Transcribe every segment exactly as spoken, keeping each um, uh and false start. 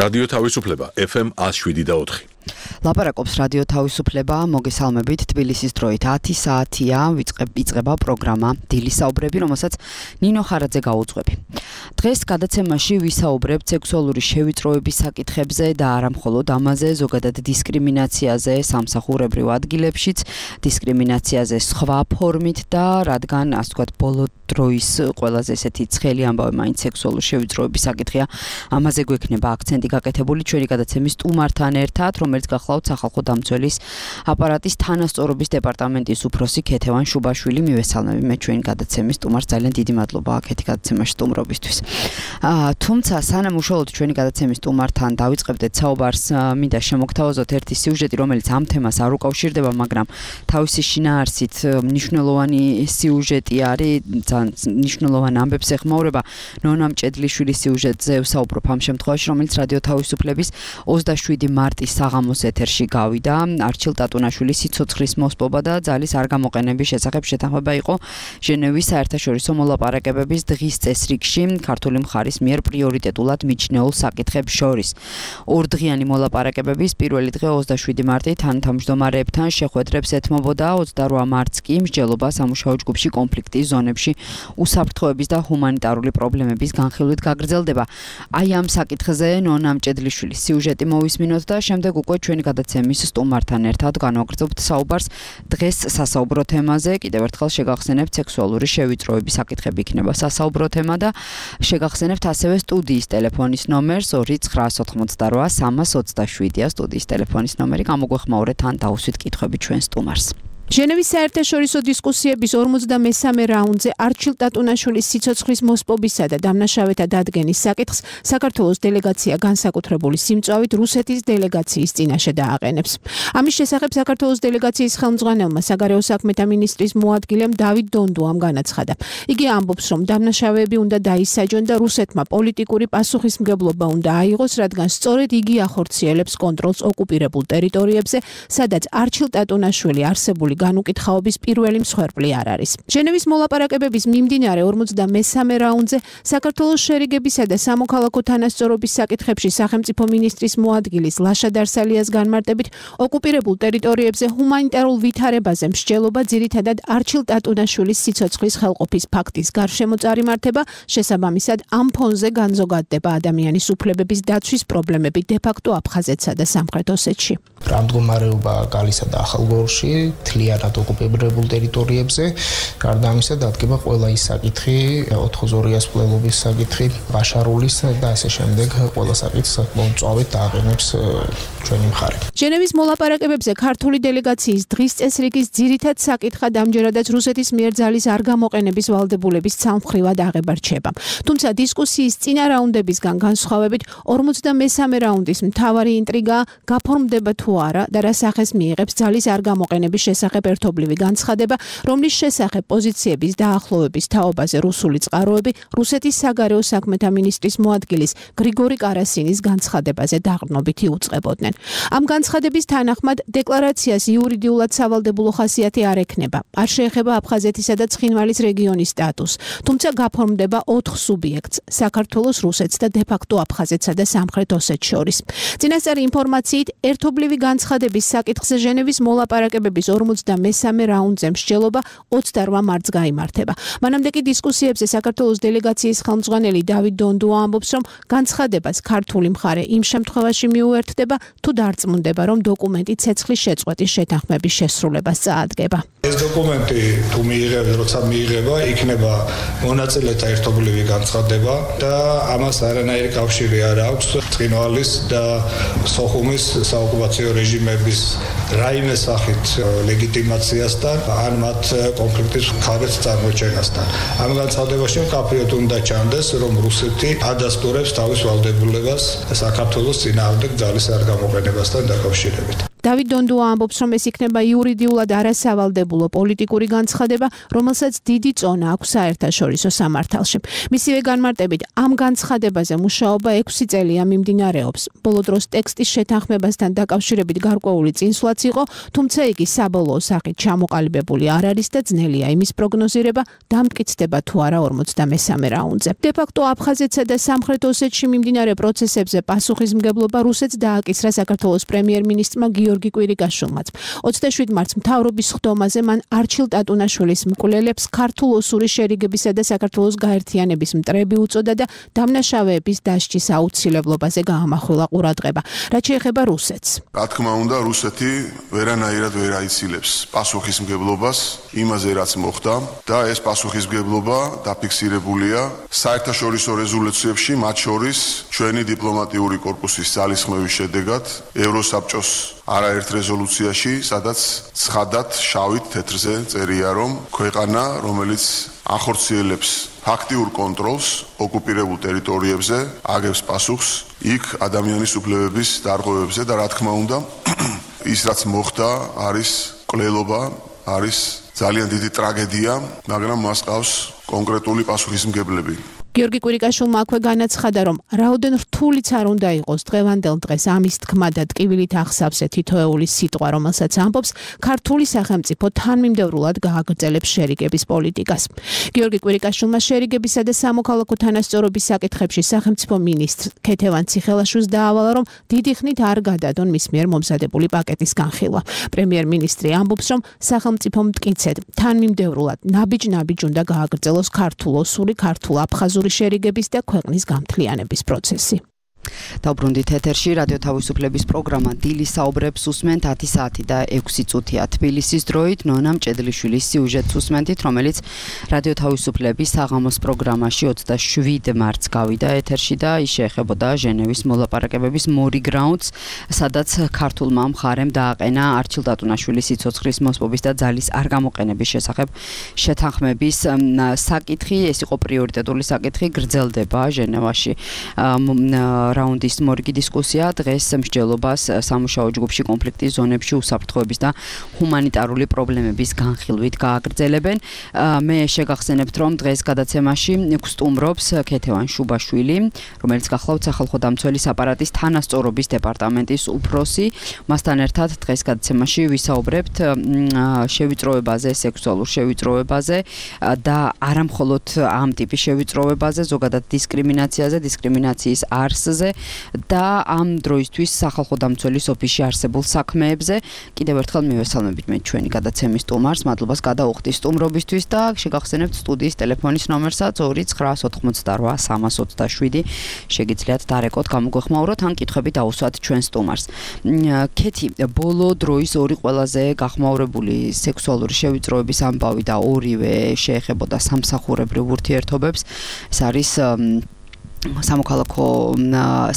რადიო თავისუფლება ეფ ემ one oh seven და four. ლაპარაკობს რადიო თავისუფლება, მოგესალმებით, თბილისის დროით ათი საათია, ვიწყება პროგრამა დილის საუბრები, რომელსაც ნინო ხარაძე გაუძღვები. დღეს გადაცემაში ვისაუბრებთ სექსუალური შევიწროების საკითხებზე და არა მხოლოდ ამაზე, ზოგადად დისკრიმინაციაზე სამსახურებრივ ადგილებშიც, დისკრიმინაციაზე სხვა ფორმით და რადგან, ასე ვთქვათ, ბოლო დროის ყველაზე ესეთი ცხელი ამბავი მაინც სექსუალური შევიწროების საკითხია, ამაზე გვექნება აქცენტი გაკეთებული ჩვენი გადაცემის სტუმართან ერთად, რომელიც გახლავთ სახალხო დამცველის აპარატის თანასწორობის დეპარტამენტის უფროსი ქეთევან შუბაშვილი. მივესალმები მე ჩვენი გადაცემის სტუმარს, ძალიან დიდი მადლობა აქეთი გადაცემაში სტუმრობისთვის. თუმცა სანამ უშუალოდ ჩვენი გადაცემის სტუმართან დავიწყებდეთ საუბარს, მინდა შემოგთავაზოთ ერთი სიუჟეტი, რომელიც ამ თემას არ უკავშირდება, მაგრამ თავისი შინაარსით მნიშვნელოვანი სიუჟეტი არის, მნიშვნელოვან ამბებს ეხმაურება. ნონა მჭედლიშვილის სიუჟეტზე ვსაუბრობ ამ შემთხვევაში, რომელიც რადიო თავისუფლების ოცდაშვიდი მარტის საღამოს ეთერში გავიდა. არჩილ ტატუნაშვილის სიცოცხლის მოსპობა და ძალის არ გამოყენების შესახებ შეთანხმება იყო ჟენევის საერთაშორისო მოლაპარაკებების დღის წესრიგში ქართული მხარის მიერ პრიორიტეტულად მიჩნეულ საკითხებს შორის. ორდღიანი მოლაპარაკებების პირველი დღე ოცდაშვიდი მარტი თანამშრომლებთან შეხვედრებს ეთმობოდა, ოცდარვა მარტს კი მსჯელობა სამუშაო ჯგუფში კონფლიქტის ზონებში უსაფრთხოების და ჰუმანიტარული პრობლემების განხილვით გაგრძელდება. აი ამ საკითხზე ნონა მჭედლიშვილის სიუჟეტი მოვისმინოთ და შემდეგ უკვე ჩვენი გადაცემის სტუმართან ერთად განვაგრძობთ საუბარს დღეს სასაუბრო თემაზე. კიდევ ერთხელ შეგახსენებთ სექსუალური შევიწროების საკითხები იქნება სასაუბრო თემა და შეგახსენებთ ასევე სტუდიის ტელეფონის ნომერს ორი ცხრა ოთხმოცდარვა სამას ოცდაშვიდია სტუდიის ტელეფონის ნომერი. გამოგვეხმაურეთ ან დაუსვით კითხვები ჩვენ სტუმარს. ჟენევის საერთაშორისო დისკუსიების ორმოცდამესამე რაუნდზე არჩილ ტატუნაშვილის სიცოცხლის მოსპობისა და დამნაშავეთა დადგენის საკითხს საქართველოს დელეგაცია განსაკუთრებული სიმწვავით რუსეთის დელეგაციის წინაშე დააყენებს. ამის შესახებ საქართველოს დელეგაციის ხელმძღვანელმა საგარეო საქმეთა მინისტრის მოადგილემ დავით დონდუამ განაცხადა. იგი ამბობს, რომ დამნაშავეები უნდა დაისაჯონ და რუსეთმა პოლიტიკური პასუხისმგებლობა უნდა აიღოს, რადგან სწორედ იგი ახორციელებს კონტროლს ოკუპირებულ ტერიტორიებზე, სადაც არჩილ ტატუნაშვილი არსებული განუკითხაობის პირველი მსხვერპლი არ არის. ჟენევის მოლაპარაკებების მიმდინარე ორმოცდამესამე რაუნდზე საქართველოს შერიგებისა და სამოქალაქო თანასწორობის საკითხებში სახელმწიფო მინისტრის მოადგილის ლაშა დარსალიას განმარტებით, ოკუპირებულ ტერიტორიებზე ჰუმანიტარულ ვითარებაზე მსჯელობა ძირითადად არჩილ ტატუნაშვილის სიცოცხლის ხელყოფის ფაქტის გარშემო წარიმართება, შესაბამისად ამ ფონზე განზოგადდება ადამიანის უფლებების დაცვის პრობლემები დე-ფაქტო აფხაზეთსა და სამხრეთ ოსეთში. რა მდგომარეობა გალისა და ახალგორში თლიანად ოკუპირებულ ტერიტორიებზე, გარდა ამისა დადგება ყველა ის საკითხი, ოთხგზორიას მკვლელობის საკითხი, ბაშარულის და ასე შემდეგ ყველა საკითხს მომწვავედ დააყენებს ჩვენი მხარე. ჟენევის მოლაპარაკებებზე ქართული დელეგაციის დღის წესრიგის ძირითად საკითხად ამჯერადაც რუსეთის მიერ ძალის არ გამოყენების ვალდებულების ცალმხრივად აღება რჩება. თუმცა დისკუსიის წინა რაუნდებისგან განსხვავებით ორმოცდამესამე რაუნდის მთავარი ინტრიგა გაფორმდება თუ არა და რა სახეს მიიღებს ძალის არ გამოყენების შესახებ ერთობლივი განცხადება, რომლის შესახებ პოზიციების დაახლოვების თაობაზე რუსული წყაროები რუსეთის საგარეო საქმეთა მინისტრის მოადგილის გრიგორი კარასინის განცხადებაზე დაყრდნობით იუწყებოდნენ. ამ განცხადების თანახმად დეკლარაციას იურიდიულად სავალდებულო ხასიათი არ ექნება. არ შეეხება აფხაზეთისა და ცხინვალის რეგიონის სტატუსს, თუმცა გაფორმდება ოთხ სუბიექტს: საქართველოს, რუსეთს და დე-ფაქტო აფხაზეთსა და სამხრეთ ოსეთს შორის. წინასწარი ინფორმაციით, ერთობლივი განცხადების საკითხზე ჟენევის მოლაპარაკებების ორმოცდამესამე რაუნდზე მსჯელობა ოცდარვა მარტს გაიმართება. მანამდე კი დისკუსიებზე საქართველოს დელეგაციის ხელმძღვანელი დავით დონდუა ამბობს, რომ განცხადებას ქართული მხარე იმ შემთხვევაში მიუერთდება, თუ დარწმუნდება, რომ დოკუმენტი ცეცხლის შეწყვეტის შეთანხმების შესრულებას წაადგება. ეს დოკუმენტი თუ მიიღება, როცა მიიღება, იქნება მონაწილეთა ერთობლივი განცხადება და ამას არანაირი კავშირი არ აქვს ცხინვალის და სოხუმის საოკუპაციო რეჟიმების რაიმე სახით ლეგიტიმაციასთან ან მათ კონფლიქტის მხარეს წარმოჩენასთან. ამ განცხადებაში მკაფიოდ უნდა ჩანდეს, რომ რუსეთი ადასტურებს თავის ვალდებულებას საქართველოს წინააღმდეგ ძალის არ გამოყენებასთან დაკავშირებით. დავით დონდუა ამბობს, რომ ეს იქნება იურიდიულად არასავალდებულო პოლიტიკური განცხადება, რომელსაც დიდი წონა აქვს საერთაშორისო სამართალში. მისივე განმარტებით, ამ განცხადებაზე მუშაობა ექვსი წელია მიმდინარეობს. ბოლო დროს ტექსტის შეთანხმებასთან დაკავშირებით გარკვეული წინსვლაც იყო, თუმცა იგი საბოლოო სახით ჩამოყალიბებული არ არის და ძნელია იმის პროგნოზირება, დამტკიცდება თუ არა ორმოცდამესამე რაუნდზე. დე-ფაქტო აფხაზეთსა და სამხრეთ ოსეთში მიმდინარე პროცესებზე პასუხისმგებლობა რუსეთს დააკისრა საქართველოს პრემიერ-მინისტრმა გიორგი კვირიკაშვილმაც. ოცდაშვიდ მარტს მთავრობის ხდომაზე მან არჩილ ტატუნაშვილის მკვლელებს ქართულ-ოსური შერიგებისა და საქართველოს გაერთიანების მტრები უწოდა და დამნაშავეების დასჯის აუცილებლობაზე გაამახვილა ყურადღება. რაც შეეხება რუსეთს. რა თქმა უნდა, რუსეთი ვერანაირად ვერ აიცილებს პასუხისმგებლობას იმაზე, რაც მოხდა და ეს პასუხისმგებლობა დაფიქსირებულია საერთაშორისო რეზოლუციებში, მათ შორის ჩვენი დიპლომატიური კორპუსის ძალისხმევის შედეგად ევროსაბჭოს არაერთ რეზოლუციაში, სადაც ცხადად შავით თეთრზე წერია, რომ ქვეყანა, რომელიც ახორციელებს ფაქტიურ კონტროლს ოკუპირებულ ტერიტორიებზე, აგებს პასუხს იქ ადამიანის უფლებების დარღვევებზე და რა თქმა უნდა, ის რაც მოხდა არის კვლელობა, არის ძალიან დიდი ტრაგედია, მაგრამ მას ყავს კონკრეტული პასუხისმგებლები. გიორგი კვირიკაშვილმა აქვე განაცხადა, რომ რაოდენ რთულიც არ უნდა იყოს დღევანდელ დღეს ამის თქმა და ტკივილით ახსავსე თითოეული სიტყვა, რომელსაც ამბობს, ქართული სახელმწიფო თანმიმდევრულად გააგრძელებს შერიგების პოლიტიკას. გიორგი კვირიკაშვილმა შერიგებისა და სამოქალაქო თანასწორობის საკითხებში სახელმწიფო მინისტრ ქეთევან ციხელაშვილს დაავალა, რომ დიდი ხნით არ გადადონ მის მიერ მომზადებული პაკეტის განხილვა. პრემიერ-მინისტრი ამბობს, რომ სახელმწიფო მტკიცედ თანმიმდევრულად ნაბიჯ-ნაბიჯ უნდა გააგრძელოს ქართულ-ოსური, ქართულ-აფხაზური შერიგების და ქვეყნის გამთლიანების პროცესი. დავბრუნდით ეთერში რადიო თავისუფლების პროგრამა დილის საუბრებს უსმენთ ათი საათი და ექვსი წუთია თბილისის დროით ნონა მჭედლიშვილის სიუჟეტს უსმენთ, რომელიც რადიო თავისუფლების საღამოს პროგრამაში ოცდაშვიდ მარტს გავიდა ეთერში და ის შეეხებოდა ჟენევის მოლაპარაკებების მორიგ რაუნდს, სადაც ქართულმა მხარემ დააყენა არჩილ ტატუნაშვილის სიცოცხლის მოსპობის და ძალის არ გამოყენების შესახებ შეთანხმების საკითხი. ეს იყო პრიორიტეტული საკითხი, გრძელდება ჟენევაში რაუნდის მორიგი დისკუსია დღეს მსჯელობას სამუშაო ჯგუფში კონფლიქტის ზონებში უსაფრთხოების და ჰუმანიტარული პრობლემების განხილვით გააგრძელებენ. მე შეგახსენებთ, რომ დღეს გადაცემაში გსტუმრობს ქეთევან შუბაშვილი, რომელიც გახლავთ სახალხო დამცველის აპარატის თანასწორობის დეპარტამენტის უფროსი. მასთან ერთად დღეს გადაცემაში ვისაუბრებთ შევიწროებაზე, სექსუალურ შევიწროებაზე და არა მხოლოდ ამ ტიპის შევიწროებაზე, ზოგადად დისკრიმინაციაზე, დისკრიმინაციის არსზე და ამ დროისთვის სახალხო დამცველის ოფისში არსებულ საქმეებზე. კიდევ ერთხელ მივესალმებით მე ჩვენი გადაცემის სტუმარს, მადლობას გადაუხდი სტუმრობისთვის და შეგახსენებთ სტუდიის ტელეფონის ნომერსაც ორი ცხრა ოცდაოთხმოცდარვა სამას ოცდაშვიდი. შეგიძლიათ დარეკოთ, გამოგვეხმაუროთ ან კითხვები დაუსვათ ჩვენ სტუმარს. ქეთი, ბოლო დროის ორი ყველაზე გახმაურებული სექსუალური შევიწროების ამბავი და ორივე შეეხებოდა სამსახურებრივ ურთიერთობებს. ეს არის სამოქალაქო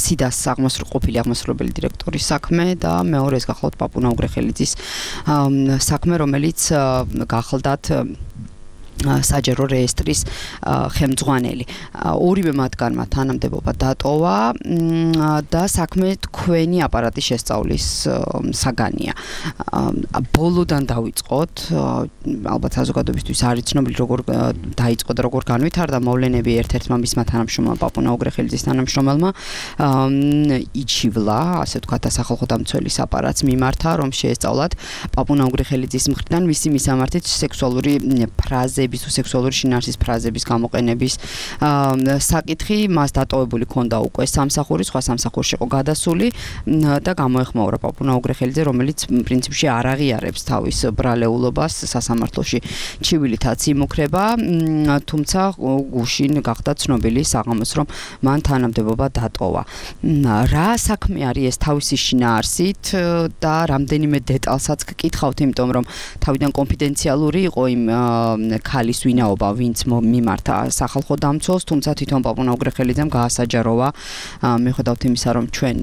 სიდას ყოფილი აღმასრულებელი დირექტორის საქმე და მეორე ეს გახლავთ პაპუნა უგრეხელიძის საქმე, რომელიც გახლდათ საჯარო რეესტრის ხელმძღვანელი. ორივე მათგანმა თანამდებობა დატოვა და საქმე თქვენი აპარატის შესწავლის საგანია. ბოლოდან დავიწყოთ, ალბათ საზოგადოებისთვის არის ცნობილი როგორ დაიწყო და როგორ განვითარდა მოვლენები. ერთ-ერთმა მისმა თანამშრომელმა პაპუნა უგრეხელიძის თანამშრომელმა იჩივლა, ასე ვთქვათ, სახალხო დამცველის აპარატს მიმართა, რომ შეესწავლათ პაპუნა უგრეხელიძის მხრიდან მისი მისამართით სექსუალური ფრაზები სექსუალური შინაარსის ფრაზების გამოყენების საკითხი. მას დატოვებული ქონდა უკვე სამსახური, სხვა სამსახურში იყო გადასული და გამოეხმაურა პაპუნა უგრეხელიძე, რომელიც პრინციპში არ აღიარებს თავის ბრალეულობას, სასამართლოში ჩივილითაც იმუქრება, თუმცა გუშინ გახდა ცნობილი საღამოს, რომ მან თანამდებობა დატოვა. რა საქმე არის ეს თავისი შინაარსით და რამდენიმე დეტალსაც გკითხავთ, იმიტომ რომ თავიდან კონფიდენციალური იყო იმ ხალის ვინაობა, ვინც მიმართა სახალხო დამცველს, თუმცა თვითონ პაპუნა უგრეხელიძემ გაასაჯაროვა მიუხედავად იმისა, რომ ჩვენ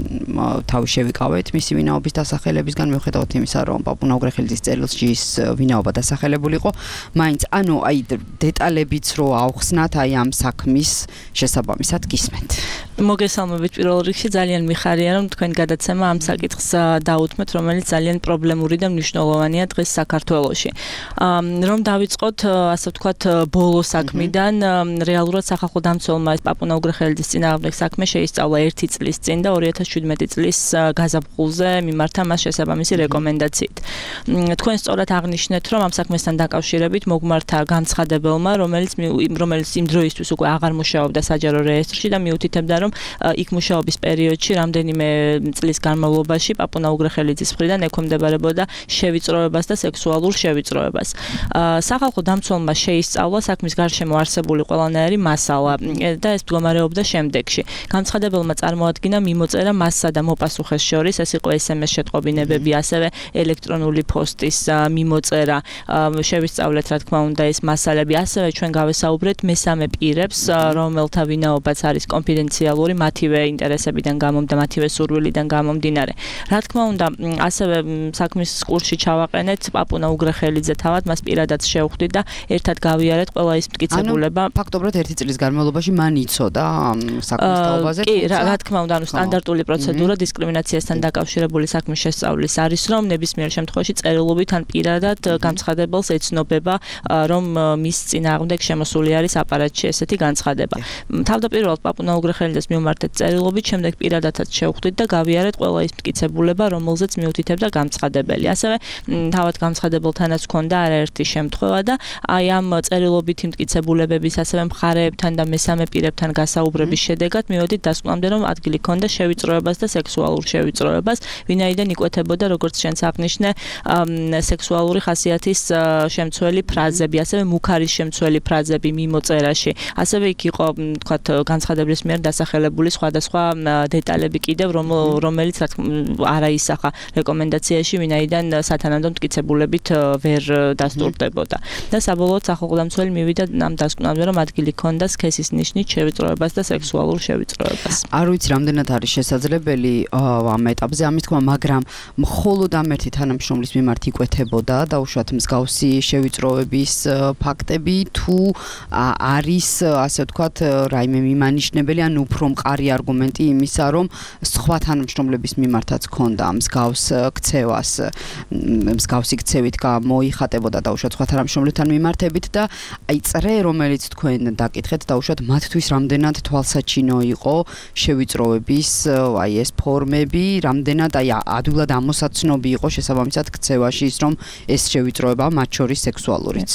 თავი შევიკავეთ მისი ვინაობის დასახელებისგან, მიუხედავად იმისა, რომ პაპუნა უგრეხელიძის წერილში ის ვინაობა დასახელებული იყო, მაინც ანუ აი დეტალებიც რო აუხსნათ აი ამ საქმის შესაბამისად გისმენთ. მოგესალმებით პირველ რიგში ძალიან მიხარია რომ თქვენ გადაცემა ამ საკითხს დაუთმეთ, რომელიც ძალიან პრობლემური და მნიშვნელოვანია დღეს საქართველოში. რომ დავიწყოთ ასე ვთქვათ ბოლო საქმიდან, რეალურად სახალხო დამცველმა ეს პაპუნა უგრეხელიძის წინააღმდეგ საქმე შეისწავლა ერთი წლის წინ და ორი ათას შვიდმეტი წლის გაზაფხულზე მიმართა მას შესაბამისი რეკომენდაციით. თქვენ სწორად აღნიშნეთ, რომ ამ საქმესთან დაკავშირებით მოგმართა განცხადებელმა, რომელიც რომელიც იმ დროისთვის უკვე აღარ მუშაობდა საჯარო რეესტრში და მიუთითებდა, რომ იქ მუშაობის პერიოდში რამდენიმე წლის განმავლობაში პაპუნა უგრეხელიძის მხრიდან ექვემდებარებოდა შევიწროებას და სექსუალურ შევიწროებას. სახალხო დამცველმა შეისწავლა საქმის გარშემო არსებული ყველანაირი მასალა და ეს მდგომარეობდა შემდეგში. განცხადებელმა წარმოადგინა მიმოწერა მასსა და მოპასუხეს შორის, ეს იყო ეს ემ ეს შეტყობინებები, ასევე ელექტრონული პოსტის მიმოწერა, შევისწავლეთ რა თქმა უნდა ეს მასალები, ასევე ჩვენ გავესაუბრეთ მესამე პირებს, რომელთა ვინაობაც არის კონფიდენციალური მათივე ინტერესებიდან გამომდა, მათივე სურვილიდან გამომდინარე. რა თქმა უნდა, ასევე საქმის კურსში ჩავაყენეთ პაპუნა უგრეხელიძე თავად, მას პირადად შევხვდით და ერთად გავიარეთ ყველა ის მტკიცებულება. ანუ ფაქტობრივად ერთი წლის განმავლობაში მან იცოდა ამ საქმის თაობაზე. კი, რა თქმა უნდა, ანუ სტანდარტული პროცედურა დისკრიმინაციასთან დაკავშირებული საქმის შესწავლის არის, რომ ნებისმიერ შემთხვევაში წერილობით ან პირადად განცხადებელს ეცნობება, რომ მის წინააღმდეგ შემოსული არის აპარატში ესეთი განცხადება. თავდაპირველად პაპუნა უგრეხელიძეს მიმართეთ წერილობით, შემდეგ პირადადაც შევხვდით და გავიარეთ ყველა ის მტკიცებულება, რომელზეც მიუთითებდა განცხადებელი. ასევე თავად განცხადებელთანაც ჰქონდა არაერთი შემთხვევა და აი ამ წერილობითი მტკიცებულებების, ასევე მხარეებთან და მესამე პირებთან გასაუბრების შედეგად მივედით დასკვნამდე, რომ ადგილი ჰქონდა შევიწროებას და სექსუალურ შევიწროებას, ვინაიდან იკვეთებოდა, როგორც შენც აღნიშნე, სექსუალური ხასიათის შემცველი ფრაზები, ასევე მუქარის შემცველი ფრაზები მიმოწერაში. ასევე იქ იყო, თქვათ, განცხადებლის მიერ დასახელებული სხვადასხვა დეტალები კიდევ, რომელიც არ აისახა რეკომენდაციაში, ვინაიდან სათანადო მტკიცებულებით ვერ დასტურდებოდა. და საბოლოოდ სახალხო დამცველი მივიდა ამ დასკვნამდე, რომ ადგილი ჰქონდა სქესის ნიშნით შევიწროებას და სექსუალურ შევიწროებას. არ ვიცი რამდენად არის შესაძლებელი ამ ეტაპზე ამის თქმა, მაგრამ მხოლოდ ამ ერთი თანამშრომლის მიმართ იკვეთებოდა დაუშვათ მსგავსი შევიწროების ფაქტები თუ არის ასე ვთქვათ რაიმე მიმანიშნებელი ან უფრო მყარი არგუმენტი იმისა, რომ სხვა თანამშრომლების მიმართაც ჰქონდა მსგავს ქცევას, მსგავსი ქცევით გამოიხატებოდა დაუშვათ სხვა თანამშრომლებთან მიმართებით და აი წრე, რომელიც თქვენ დაკითხეთ, დაუშვათ მათთვის რამდენად თვალსაჩინო იყო შევიწროების აი ეს ფორმები, რამდენად აი ადვილად ამოსაცნობი იყო შესაბამისად ქცევაში ის, რომ ეს შევიწროება მათ შორის სექსუალურიც.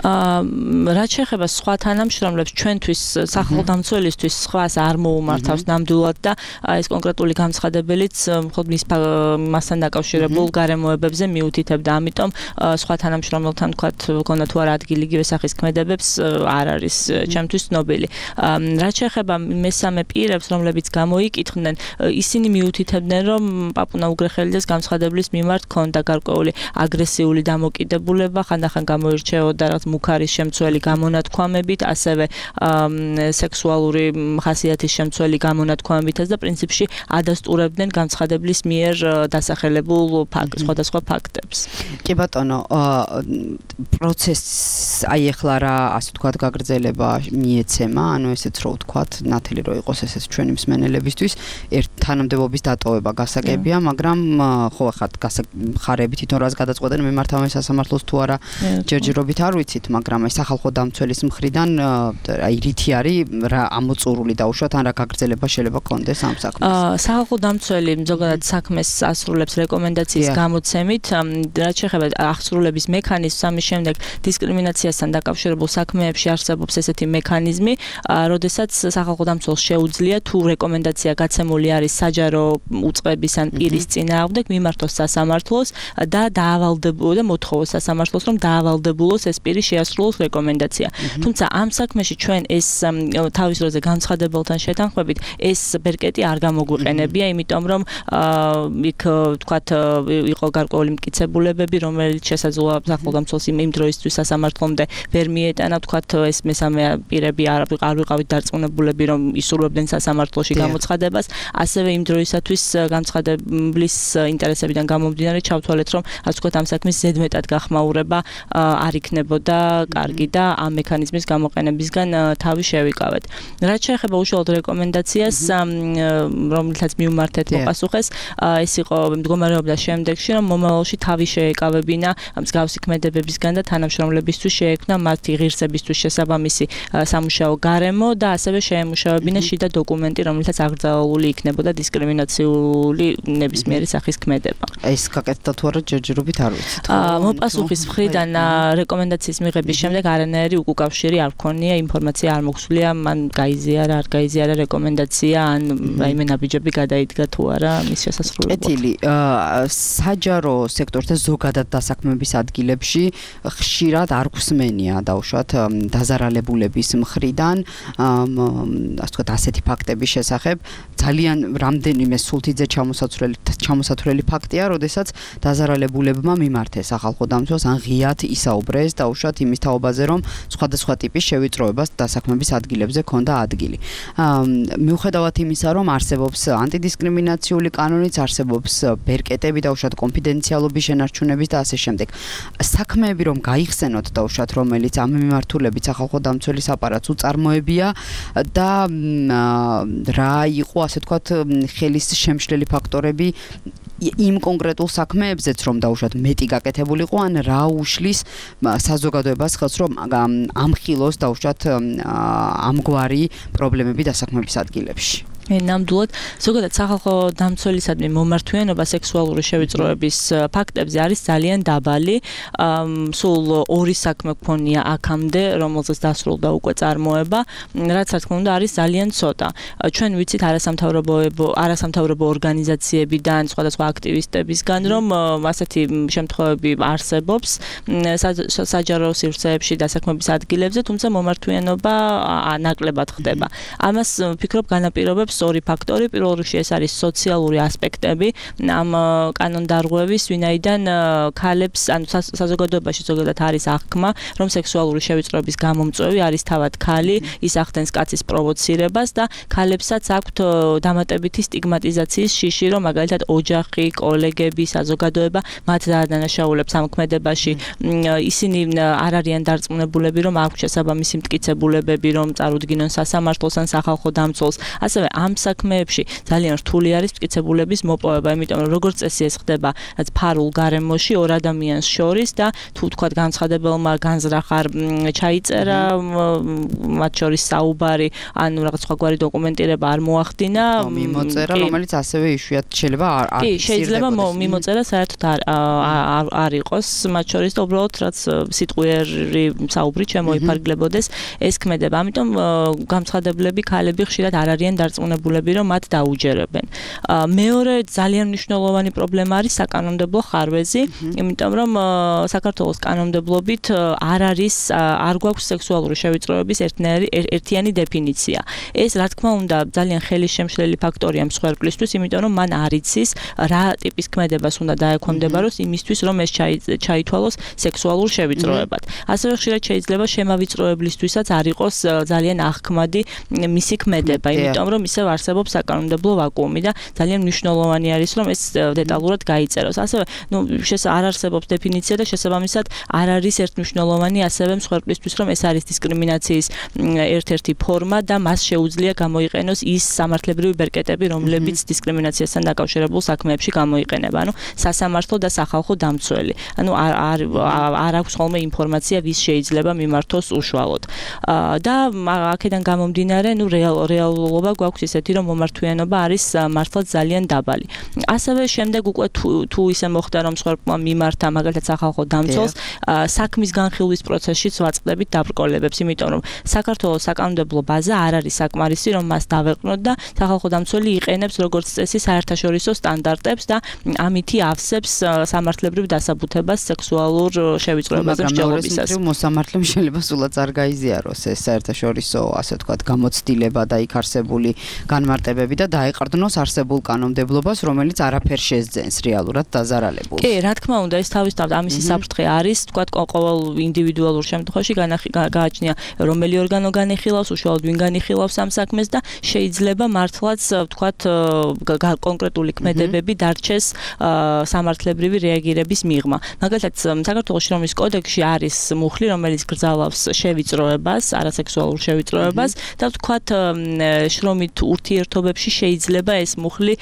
რაც შეეხება სხვა თანამშრომლებს, ჩვენთვის სახალხო დამცველისთვის სხვას არ მოუმართავს ნამდვილად და ეს კონკრეტული განცხადებელიც მხოლოდ მის მასთან დაკავშირებულ გარემოებებზე მიუთითებდა. ამიტომ სხვა თანამშრომელთან თქვათ, გქონდა თუ არა ადგილი იგივე სახის ქმედებებს არ არის ჩემთვის ცნობილი. რაც შეეხება მესამე პირებს, რომლებიც გამოიკითხნენ, ისინი მიუთითებდნენ, რომ პაპუნა უგრეხელიძეს განცხადeblis მიმართ ჰქონდა გარკვეული აგრესიული დამოკიდებულება, ხანდახან გამოირჩეოდა რაღაც მუქარის შემცველი გამონათქვამებით, ასევე სექსუალური ხასიათის შემცველი გამონათქვამებითაც და პრინციპში ადასტურებდნენ განცხადებლის მიერ დასახელებულ სხვადასხვა ფაქტებს. კი ბატონო, პროცესს აი ახლა რა ასე ვთქვათ გაგრძელება მიეცემა, ანუ ესეც რო ვთქვათ, ნათელი რო იყოს ესეც ჩვენი მსმენელებისთვის, ერთ თანამდებობის დატოვება გასაგებია, მაგრამ ხო ახლა ხარები თვითონ რას გადაწყვეტენ მიმართავენ სასამართლოს თუ არა ჯერჯერობით არ ვიცით, მაგრამ აი სახალხო დამცველის მხრიდან აი რითი არის რა ამოწურული დაუშვათ ან რა გაგრძელება შეიძლება კონდეს ამ საქმეს. სახალხო დამცველი ზოგადად საქმეს ასრულებს რეკომენდაციის გამოცემით, რაც შეეხება აღსრულების მექანიზმს, ამის შემდეგ დისკრიმინაციასთან დაკავშირებულ საქმეებში არსებობს ესეთი მექანიზმი, როდესაც სახალხო დამცველს შეუძლია თუ რეკომენდაცია გაცემული არის საჯარო უწყების ან პირის წინააღმდეგ მიმართოს სასამართლოს და დაავალდებულოს და მოთხოვოს სასამართლოს რომ დაავალდებულოს ეს პირი შეასრულოს რეკომენდაცია. თუმცა ამ საქმეში ჩვენ ეს თავის დროზე განცხადებელთან შეთანხმებით ეს ბერკეტი არ გამოგვიყენებია, იმიტომ რომ იქ თქვათ იყო გარკვეული მტკიცებულებები, რომელიც შესაძლოა სახელმწიფოს იმ დროისთვის სასამართლომდე ვერ მიეტანა, თქვათ ეს მესამე პირები არ არ ვიყავით დარწმუნებულები რომ ისურვებდნენ სასამართლოში გამოცხადებას, ასევე იმ დროისათვის განცხადებლის ინტერესებიდან გამომდინარე ჩავთვალეთ რომ ასე ვთქვათ ამ საქმის ზედმეტად გახმაურება არ იქნებოდა კარგი და ამ მექანიზმის გამოყენებისგან თავი შევიკავეთ. რაც შეეხება უშუალოდ რეკომენდაციას, რომელთაც მიუმართეთ მოპასუხეს, ეს იყო მდგომარეობდა შემდეგში, რომ მომავალში თავი შეეკავებინა მსგავსი ქმედებებისგან და თანამშრომლებისთვის შეექმნა მათი ღირსებისთვის შესაბამისი სამუშაო გარემო და ასევე შეემუშავებინა შიდა დოკუმენტი, რომელთაც აკრძალული იქნებოდა დისკრიმინაციული ნებისმიერი სახის ქმედება. ეს გაკეთდა თუ არა ჯერჯერობით არ ვიცით. მოპასუხის მხრიდან რეკომენდაციის მიღების შემდეგ არანაირი უკავშირი არ ქონია, ინფორმაცია არ მოგვსულია, მან გაიზიარა, არ გაიზიარა რეკომენდაცია, ან რაიმე ნაბიჯები გადაიდგა თუ არა მის შესასრულებლად. კეთილი, საჯარო სექტორთან ზოგადად დასაქმების ადგილებში ხშირად არ გვსმენია დაუშვათ დაზარალებულების მხრიდან, ასე ვთქვათ, ასეთი ფაქტების შესახებ. ძალიან რამდენიმე სულთიძე ჩამოსაცვლელი ჩამოსათვლელი ფაქტია, როდესაც დაზარალებულებმა მიმართეს ახალ ხოდამცველს ან ღიად ისაუბრეს დაუშვათ იმის თაობაზე, რომ სხვადასხვა ტიპის შევიწროებას დასაქმების ადგილებზე ქონდა ადგილი. მიუხედავად იმისა, რომ არსებობს ანტიდისკრიმინაციული კანონიც, არსებობს ბერკეტები დაუშვათ კონფიდენციალობის შენარჩუნების და ასე შემდეგ. საქმეები რომ გაიხსენოთ დაუშვათ, რომელიც ამ მიმართულებით სახალხო დამცველის აპარატს უწარმოებია და რა იყო ასე ვთქვათ ხელის შემშლელი ფაქტორები იმ კონკრეტულ საქმეებზეც რომ დაუშვათ მეტი გაკეთებულიყო ან რა უშლის საზოგადოებას ხელს რომ ამხილოს დაუშვათ ამგვარი პრობლემები დასაქმების ადგილებში. ნამდვილად ზოგადად სახალხო დამცველისადმი მომართვიანობა სექსუალური შევიწროების ფაქტებზე არის ძალიან დაბალი. სულ ორი საქმე გქონია აქამდე, რომელზეც დასრულდა უკვე წარმოება, რაც რა თქმა უნდა არის ძალიან ცოტა. ჩვენ ვიცით არასამთავრობო არასამთავრობო ორგანიზაციებიდან, სხვადასხვა აქტივისტებისგან, რომ ასეთი შემთხვევები არსებობს საჯარო სივრცეებში დასაქმების ადგილებზე, თუმცა მომართვიანობა ნაკლებად ხდება. ამას ვფიქრობ განაპირობებს ორი ფაქტორი. პირველ რიგში ეს არის სოციალური ასპექტები ამ კანონდარღვევის, ვინაიდან ქალებს ან საზოგადოებაში ზოგადად არის აღქმა, რომ სექსუალური შევიწროების გამომწვევი არის თავად ქალი, ის ახდენს კაცის პროვოცირებას და ქალებსაც აქვთ დამატებითი სტიგმატიზაციის შიში, რომ მაგალითად ოჯახი, კოლეგები, საზოგადოება მათ დაადანაშაულებს ამ ქმედებაში. ისინი არ არიან დარწმუნებულები, რომ აქვთ შესაბამისი მტკიცებულებები, რომ წარუდგინონ სასამართლოს ან სახალხო დამცველს. ასევე ამ საქმეებში ძალიან რთული არის მტკიცებულების მოპოვება, იმიტომ რომ როგორც წესი ეს ხდება რაც ფარულ გარემოში ორ ადამიანს შორის და თუ თქვათ განცხადებელმა განზრახარ ჩაიწერა მათ შორის საუბარი, ანუ რაღაც სხვაგვარი დოკუმენტირება არ მოახდინა, მიმოწერა, რომელიც ასევე იშვიათ შეიძლება არ არ კი, შეიძლება მიმოწერა საერთოდ არ არ იყოს მათ შორის და უბრალოდ რაც სიტყვიერი საუბრი შემოიფარგლებოდეს ეს ქმედება. ამიტომ განცხადებლები ქალები ხშირად არ არიან დარწმუნებულები, რომ მათ დაუჯერებენ. მეორე ძალიან მნიშვნელოვანი პრობლემა არის საკანონმდებლო ხარვეზი, იმიტომ რომ საქართველოს კანონმდებლობით არ არის არ გვაქვს სექსუალური შევიწროების ერთიანი დეფინიცია. ეს რა თქმა უნდა ძალიან ხელისშემშლელი ფაქტორია მსხვერპლისთვის, იმიტომ რომ მან არ იცის რა ტიპის ქმედებას უნდა დაექვემდებაროს იმისთვის, რომ ეს ჩაითვალოს სექსუალურ შევიწროებად. ასევე ხშირად შეიძლება შემავიწროებლისთვისაც არ იყოს ძალიან აღქმადი მისი ქმედება, იმიტომ რომ ისევ არსებობს საკანონმდებლო ვაკუუმი და ძალიან მნიშვნელოვანი არის რომ ეს დეტალურად გაიწეროს. ასევე, ნუ არ არსებობს დეფინიცია და შესაბამისად არ არის ერთმნიშვნელოვანი ასევე მსხვერპლისთვის რომ ეს არის დისკრიმინაციის ერთ-ერთი ფორმა და მას შეუძლია გამოიყენოს ის სამართლებრივი ბერკეტები, რომლებიც დისკრიმინაციასთან დაკავშირებულ საქმეებში გამოიყენება. ანუ სასამართლო და სახალხო დამცველი. ანუ არ არ არ აქვს ხოლმე ინფორმაცია ვის შეიძლება მიმართოს უშუალოდ. და აქედან გამომდინარე, ნუ რეალ რეალობა გვაქვს ის ისეთი რომ მომართვიანობა არის მართლაც ძალიან დაბალი. ასევე შემდეგ უკვე თუ ისე მოხდა რომ მსხვერპლმა მიმართა მაგალითად სახალხო დამცველს საქმის განხილვის პროცესშიც ვაწყდებით დაბრკოლებებს, იმიტომ რომ საქართველოს საკანონმდებლო ბაზა არ არის საკმარისი რომ მას დავეყრნოთ და სახალხო დამცველი იყენებს როგორც წესი საერთაშორისო სტანდარტებს და ამითი ავსებს სამართლებრივ დასაბუთებას სექსუალურ შევიწროებაზე მსჯელობისას. მაგრამ მოსამართლემ შეიძლება სულაც არ გაიზიაროს ეს საერთაშორისო ასე ვთქვათ გამოცდილება და იქ არსებული განმარტებები და დაეყრდნოს არსებულ კანონმდებლობას, რომელიც არაფერს შეძენს რეალურად დაზარალებულს. კი, რა თქმა უნდა, ეს თავისთავად ამისი საფრთხე არის, ვთქვათ, ყოველ ინდივიდუალურ შემთხვევაში გააჩნია რომელი ორგანო განიხილავს, უშუალოდ ვინ განიხილავს ამ საქმეს და შეიძლება მართლაც ვთქვათ კონკრეტული ქმედებები დარჩეს სამართლებრივი რეაგირების მიღმა. მაგალითად, საქართველოს შრომის კოდექსში არის მუხლი, რომელიც გრძალავს შევიწროებას, არასექსუალურ შევიწროებას და ვთქვათ შრომით ურთიერთობებში შეიძლება ეს მუხლი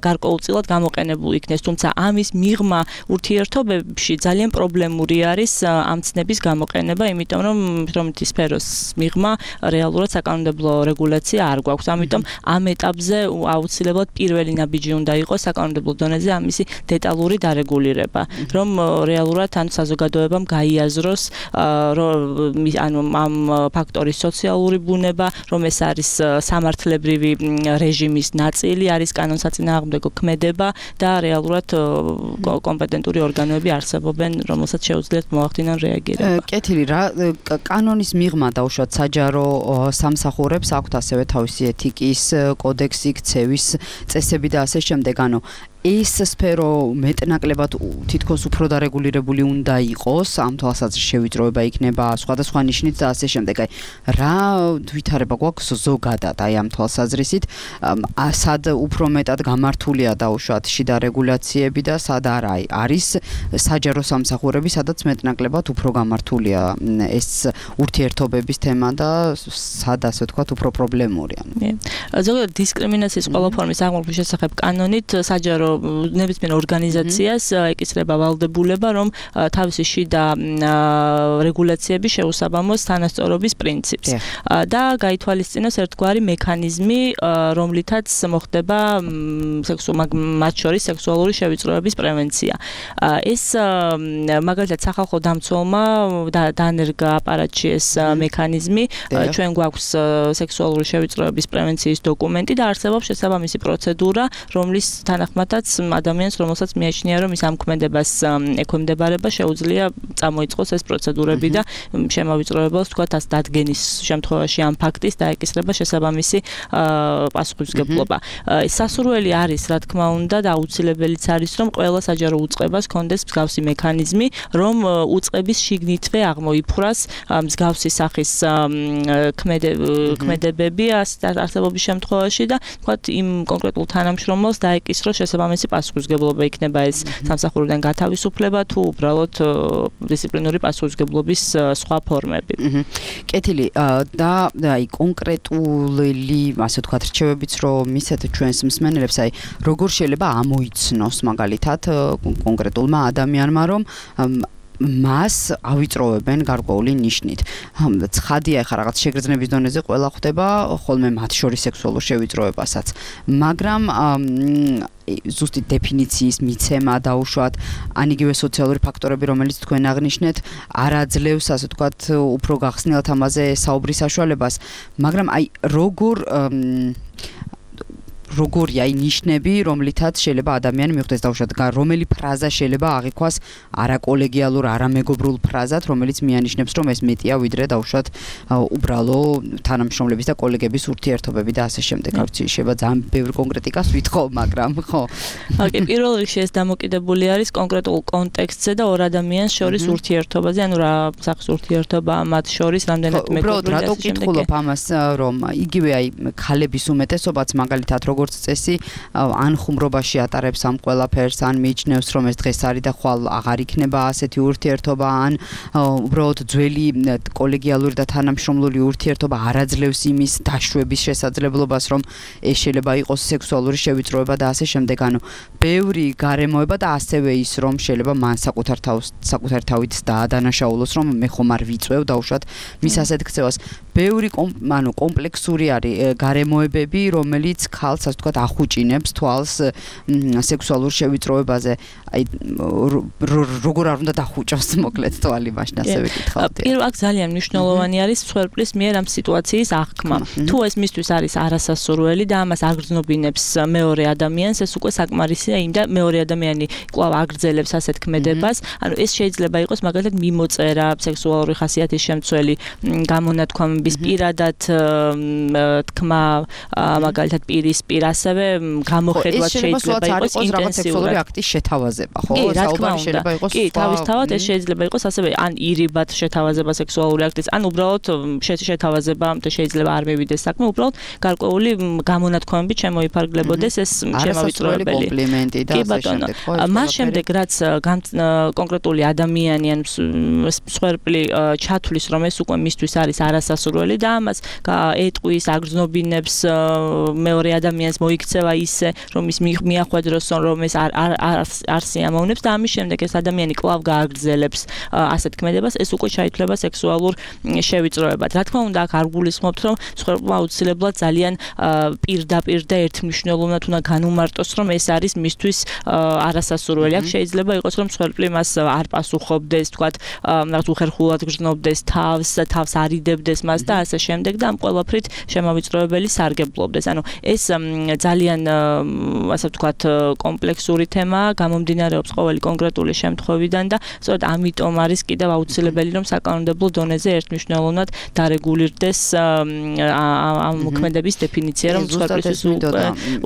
გარკვეულწილად გამოყენებული იქნეს, თუმცა ამის მიღმა ურთიერთობებში ძალიან პრობლემური არის ამ ცნების გამოყენება, იმიტომ რომ შრომითი სფეროს მიღმა რეალურად საკანონმდებლო რეგულაცია არ გვაქვს. ამიტომ ამ ეტაპზე აუცილებლად პირველი ნაბიჯი უნდა იყოს საკანონმდებლო დონეზე ამისი დეტალური დარეგულირება, რომ რეალურად ან საზოგადოებამ გაიაზროს ანუ ამ ფაქტორის სოციალური ბუნება, რომ ეს არის სამართლებრივი რეჟიმის ნაწილი, არის კანონსაწინააღმდეგო ქმედება და რეალურად კომპეტენტური ორგანოები არსებობენ, რომელსაც შეუძლიათ მოახდინონ რეაგირება. კეთილი რა, კანონის მიღმა დაუშვათ საჯარო სამსახურებს აქვთ ასევე თავისი ეთიკის კოდექსი, ქცევის წესები და ასე შემდეგ, ანუ ეს სფერო მეტნაკლებად თითქოს უფრო დარეგულირებული უნდა იყოს, ამ თვალსაზრისით შევიწროება იქნება სხვადასხვა ნიშნით და ასე შემდეგ. აი რა ვითარება გვაქვს ზოგადად აი ამ თვალსაზრისით, სად უფრო მეტად გამართულია დაუშვათ შიდა რეგულაციები და სად არა, აი არის საჯარო სამსახურები, სადაც მეტნაკლებად უფრო გამართულია ეს ურთიერთობების თემა და სად ასე ვთქვათ უფრო პრობლემურია. ზოგადად დისკრიმინაციის ყველა ფორმის აღმოფხვის შესახებ კანონით საჯარო ნებისმიერ ორგანიზაციას ეკისრება ვალდებულება, რომ თავისი შიდა რეგულაციები შეუსაბამოს თანასწორობის პრინციპს და გაითვალისწინოს ერთგვარი მექანიზმი, რომლითაც მოხდება მათ შორის სექსუალური შევიწროების პრევენცია. ეს მაგალითად სახალხო დამცველმა დანერგა აპარატში ეს მექანიზმი, ჩვენ გვაქვს სექსუალური შევიწროების პრევენციის დოკუმენტი და არსებობს შესაბამისი პროცედურა, რომლის თანახმადაც ადამიანს, რომელსაც მიაჩნია, რომ ის ამ ქმედებას ექვემდებარება, შეუძლია წამოიწყოს ეს პროცედურები და შემოვიწროებელს თქვათ ას დადგენის შემთხვევაში ამ ფაქტის დაეკისრება შესაბამისი პასუხისმგებლობა. სასურველი არის, რა თქმა უნდა, და აუცილებელიც არის, რომ ყველა საჯარო უწყებას ჰქონდეს მსგავსი მექანიზმი, რომ უწყების შიგნითვე აღმოიფხვრას მსგავსი სახის ქმედებები არსებობის შემთხვევაში და თქვათ იმ კონკრეტულ თანამშრომელს დაეკისროს შესაბამისი პასუხისმგებლობა, იქნება ეს სამსახურიდან გათავისუფლება თუ უბრალოდ დისციპლინური პასუხისმგებლობის სხვა ფორმები. კეთილი და აი კონკრეტული ასე ვთქვათ რჩევებიც რომ მისცეთ ჩვენს მსმენელებს, აი როგორ შეიძლება ამოიცნოს მაგალითად კონკრეტულმა ადამიანმა, რომ მას ავიწროვებენ გარკვეული ნიშნით. ცხადია, ხა რაღაც შეგრძნების დონეზე ყველა ხვდება ხოლმე მათ შორის სექსუალურ შევიწროებასაც, მაგრამ ზუსტი დეფინიციის მიცემა დაუშვათ, ან იგივე სოციალური ფაქტორები, რომელიც თქვენ აღნიშნეთ, არ აძლევს, ასე ვთქვათ, უფრო გახსნილად ამაზე საუბრის საშუალებას, მაგრამ აი როგორ როგორია აი ნიშნები, რომლითაც შეიძლება ადამიანი მიხვდეს დაუშვათ, რომელი ფრაზა შეიძლება აღიქვას არაკოლეგიალურ, არამეგობრულ ფრაზად, რომელიც მიანიშნებს, რომ ეს მეტია ვიდრე დაუშვათ უბრალო თანამშრომლების და კოლეგების ურთიერთობები და ასე შემდეგ. არ ვიცი, შეიძლება ძალიან ბევრი კონკრეტიკას ვითხოვ, მაგრამ ხო. ოკეი, პირველ რიგში ეს დამოკიდებული არის კონკრეტულ კონტექსტზე და ორ ადამიანს შორის ურთიერთობაზე, ანუ რა სახის ურთიერთობა მათ შორის, რამდენად მეგობრული. უბრალოდ რატო ვკითხულობ ამას, რომ იგივე აი ქალების უმეტესობაც მაგალითად როგორც წესი ან ხუმრობაში ატარებს ამ ყველაფერს, ან მიიჩნევს რომ ეს დღეს არის და ხვალ აღარ იქნება ასეთი ურთიერთობა, ან უბრალოდ ძველი კოლეგიალური და თანამშრომლული ურთიერთობა არაძლევს იმის დაშვების შესაძლებლობას, რომ ეს შეიძლება იყოს სექსუალური შევიწროება და ასე შემდეგ. ანუ ბევრი გარემოება და ასევე ის რომ შეიძლება მან საკუთარ თავს საკუთარ თავით დაადანაშაულოს, რომ მე ხომ არ ვიწვევ დაუშვათ მის ასეთ ქცევას. ბევრი ანუ კომპლექსური არის გარემოებები, რომელიც ქალს ასე ვთქვათ ახუჭინებს თვალს სექსუალურ შევიწროებაზე. აი როგორ არ უნდა დახუჭოს მოკლედ თვალი მაშინ ასევე გითხავდი. პირველ აქ ძალიან მნიშვნელოვანი არის მსხვერპლის მიერ ამ სიტუაციის აღქმა. თუ ეს მისთვის არის არასასურველი და ამას აგრძნობინებს მეორე ადამიანს, ეს უკვე საკმარისია იმ და მეორე ადამიანი კვლავ აგრძელებს ასეთ ქმედებას. ანუ ეს შეიძლება იყოს მაგალითად მიმოწერა, სექსუალური ხასიათის შემცველი გამონათქვამების პირადად თქმა, მაგალითად პირისპირ ასევე გამოხედვა შეიძლება იყოს ინტენსიური აქტის შეთავაზება, ხო? საუბარი შეიძლება იყოს. კი, თავისთავად ეს შეიძლება იყოს ასევე ან ირიბად შეთავაზება სექსუალური აქტის, ან უბრალოდ შეთავაზება და შეიძლება არ მივიდეს საქმე, უბრალოდ გარკვეული გამონათქვამებით შემოიფარგლებოდეს ეს შემავიწროებელი კომპლიმენტი და ასე შემდეგ. მას შემდეგ რაც კონკრეტული ადამიანი ან მსხვერპლი ჩათვლის, რომ ეს უკვე მისთვის არის არასასურველი და ამას ეტყვის, აგრძნობინებს მეორე ადამიანს მოიქცევა ისე, რომ ის მიახვედროს, რომ ეს არ არ სიამოვნებს და ამის შემდეგ ეს ადამიანი კვლავ გააგრძელებს ასეთ ქმედებას, ეს უკვე ჩაითვლება სექსუალურ შევიწროებად. რა თქმა უნდა, აქ არ გულისხმობთ, რომ მსხვერპლმა აუცილებლად ძალიან პირდაპირ და ერთმნიშვნელოვნად უნდა განუმარტოს, რომ ეს არის მისთვის არასასურველი. აქ შეიძლება იყოს, რომ მსხვერპლი მას არ პასუხობდეს, თქვათ, რაღაც უხერხულად გრძნობდეს თავს, თავს არიდებდეს მას და ასე შემდეგ და ამ ყველაფრით შემავიწროებელი სარგებლობდეს. ანუ ეს ძალიან ასე ვთქვათ კომპლექსური თემაა, გამომდინარეობს ყოველი კონკრეტული შემთხვევიდან და სწორედ ამიტომ არის კიდევ აუცილებელი, რომ საკანონმდებლო დონეზე ერთმნიშვნელოვნად დარეგულირდეს ამ მოქმედების დეფინიცია, რომ მსხვერპლისთვის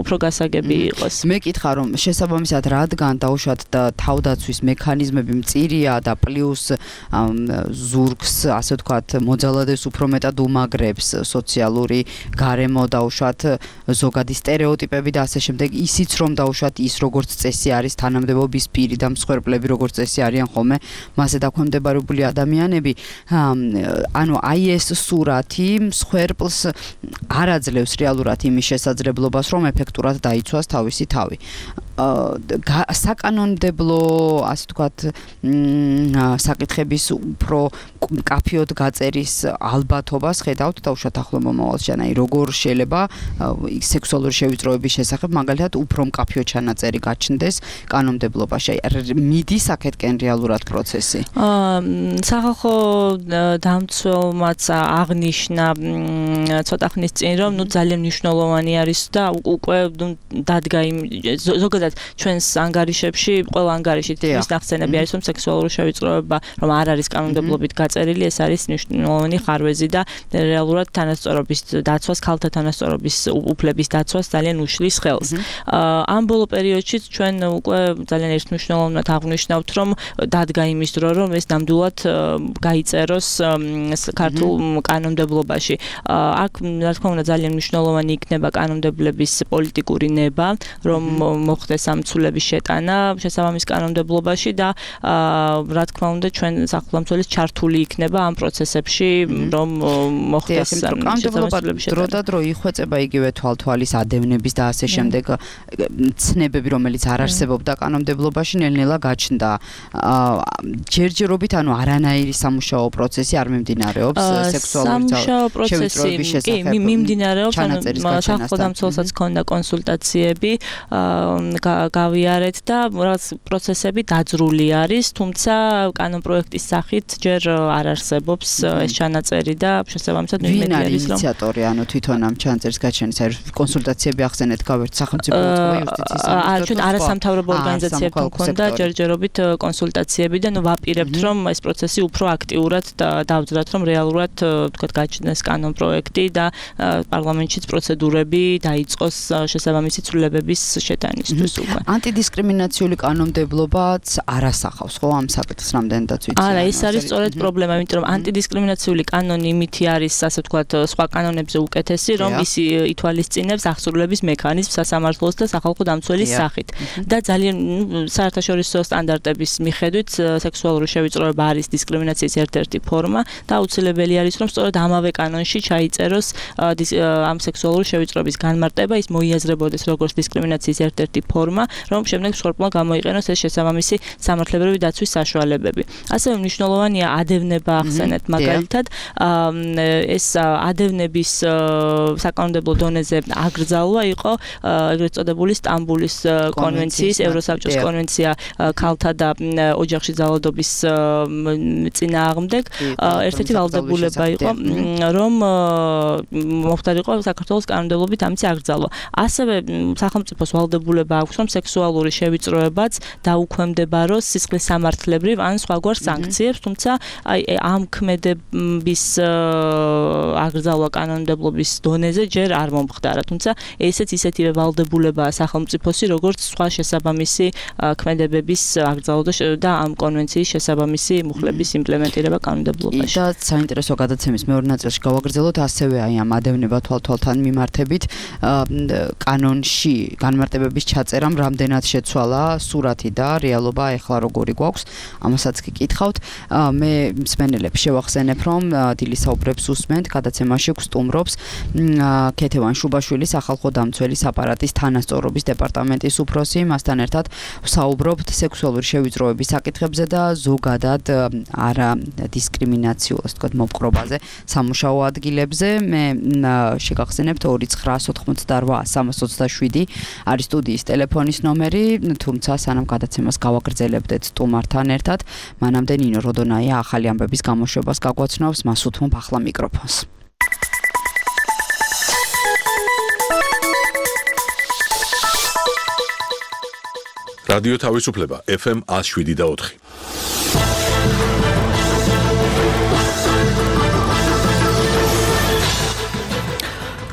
უფრო გასაგები იყოს. მე კითხა, რომ შესაბამისად რადგან დაუშვათ და თავდაცვის მექანიზმები მწირია და პლუს ზურგს, ასე ვთქვათ, მოძალადებს უფრო მეტად უმაგრებს სოციალური გარემო, დაუშვათ ზოგადი სტერეოტიპები და ასე შემდეგ, ისიც რომ დაუშვათ ის როგორც წესი არის თანამდებობის პირი და მსხვერპლები როგორც წესი არიან ხოლმე მასზე დაქვემდებარებული ადამიანები. ანუ აი ეს სურათი მსხვერპლს არ აძლევს რეალურად იმის შესაძლებლობას, რომ ეფექტურად დაიცვას თავისი თავი. საკანონმდებლო, ასე ვთქვათ, საკითხების უფრო კაფეოდ გაწერის ალბათობას ხედავთ დაუშვათ ახლო მომავალში, აი როგორ შეიძლება სექსუალური შევიწროების შესახებ მაგალითად უფრო მკაფიო ჩანაწერი გაჩნდეს კანონმდებლობაში. აი მიდის აქეთკენ რეალურად პროცესი. სახალხო დამცველმაც აღნიშნა ცოტა ხნის წინ, რომ ნუ ძალიან მნიშვნელოვანი არის და უკვე დადგა იმ ზოგადად ჩვენს ანგარიშებში, ყველა ანგარიშით ის ნახსენები არის, რომ სექსუალური შევიწროება, რომ არ არის კანონმდებლობით გაწერილი, ეს არის მნიშვნელოვანი ხარვეზი და რეალურად თანასწორობის დაცვას, ქალთა თანასწორობის უფლების დაცვას ძალიან უშლის ხელს. ამ ბოლო პერიოდშიც ჩვენ უკვე ძალიან ერთმნიშვნელოვნად აღვნიშნავთ, რომ დადგა იმის დრო, რომ ეს ნამდვილად გაიწეროს ქართულ კანონმდებლობაში. აქ რა თქმა უნდა ძალიან მნიშვნელოვანი იქნება კანონმდებლების პოლიტიკური ნება, რომ მოხდეს ამ ცვლილების შეტანა შესაბამის კანონმდებლობაში და რა თქმა უნდა ჩვენ სახელმწიფოს ჩართული იქნება ამ პროცესებში, რომ მოხდეს კანონმდებლობა დრო და დრო იხვეწება იგივე თვალთვალის ადევნების და ასე შემდეგ ცნებები, რომელიც არ არსებობდა კანონმდებლობაში, ნელ-ნელა გაჩნდა. ჯერჯერობით ანუ არანაირი სამუშაო პროცესი არ მიმდინარეობს სექსუალური შევიწროების შესახებ. კი, მიმდინარეობს, ანუ სახელმწიფოსაც ქონდა კონსულტაციები, გავიარეთ და რაღაც პროცესები დაძრული არის, თუმცა კანონპროექტის სახით ჯერ არ არსებობს ეს ჩანაწერი და შესაბამისად ვინ არის ინიციატორი, ანუ თვითონ ამ ჩანაწერის გაჩენის, აი კონსულტაციები ახსენეთ, გავერთ სახელმწიფო იუსტიციის სამინისტროს. ჩვენ არასამთავრობო ორგანიზაციებთან ქონდა ჯერჯერობით კონსულტაციები და ნუ ვაპირებთ, რომ ეს პროცესი უფრო აქტიურად დავძრათ, რომ რეალურად თქვათ გაჩნდეს კანონპროექტი და პარლამენტშიც პროცედურები დაიწყოს შესაბამისი ცვლილებების შეტანისთვის. არის უკვე. ანტიდისკრიმინაციული კანონმდებლობაც არ ასახავს ხო ამ საკითხს რამდენადაც ვიცი. არა, ეს არის სწორედ პრობლემა, იმიტომ რომ ანტიდისკრიმინაციული კანონი იმითი არის, ასე ვთქვათ, სხვა კანონებზე უკეთესი, რომ ის ითვალისწინებს აღსრულების მექანიზმს სასამართლოს და სახალხო დამცველის სახით. და ძალიან საერთაშორისო სტანდარტების მიხედვით სექსუალური შევიწროება არის დისკრიმინაციის ერთ-ერთი ფორმა და აუცილებელი არის, რომ სწორედ ამავე კანონში ჩაიწეროს ამ სექსუალური შევიწროების განმარტება, ის მოიაზრებოდეს როგორც დისკრიმინაციის ერთ-ერთი ფორმა, რომ შემდეგ მსხვერპლმა გამოიყენოს ეს შესაბამისი სამართლებრივი დაცვის საშუალებები. ასევე მნიშვნელოვანია ადევნება ახსენეთ მაგალითად, ეს ადევნების საკანონმდებლო დონეზე აკრძალვა იყო ეგრეთ წოდებული სტამბულის კონვენციის, ევროსაბჭოს კონვენცია ქალთა და ოჯახში ძალადობის წინააღმდეგ, ერთ-ერთი ვალდებულება იყო, რომ მომხდარიყო საქართველოს კანონმდებლობით ამის აკრძალვა. ასევე სახელმწიფოს ვალდებულება აქვს, რომ სექსუალური შევიწროებაც დაუქვემდებაროს სისხლის სამართლებრივ ან სხვაგვარ სანქციებს, თუმცა აი ამ ქმედების აკრძალვა კანონმდებლობის დონეზე ჯერ არ მომხდარა, თუმცა ესეც ისეთივე ვალდებულებაა სახელმწიფოსი, როგორც სხვა შესაბამისი ქმედებების აკრძალვა და ამ კონვენციის შესაბამისი მუხლების იმპლემენტირება კანონმდებლობაში. და საინტერესო გადაცემის მეორე ნაწილში გავაგრძელოთ ასევე აი ამ ადევნება თვალთვალთან მიმართებით კანონში განმარტებების ჩაწერამ რამდენად შეცვალა სურათი და რეალობა ეხლა როგორი გვაქვს, ამასაც კი კითხავთ. მე მსმენელებს შევახსენებ, რომ დილისაუბრებს უსმენთ, გადაცემაში გსტუმრობს ქეთევან შუბაშვილი, სახალხო დამცველის აპარატის თანასწორობის დეპარტამენტის უფროსი, მასთან ერთად ვსაუბრობთ სექსუალური შევიწროების საკითხებზე და ზოგადად არა დისკრიმინაციულ, ასე ვთქვათ, მოპყრობაზე, სამუშაო ადგილებზე. მე შეგახსენებთ ორი ცხრა ოთხმოცდაოთხ სამას ოცდაშვიდი არის სტუდიის ტელეფონის ნომერი, თუმცა სანამ გადაცემას გავაგრძელებდეთ სტუმართან ერთად, მანამდე ნინო როდონაია ახალი ამბების გამოშვებას გაგვაცნობს, მას უთმობ ახლა მიკროფონს. რადიო თავისუფლება ეფ ემ one oh seven და ოთხი.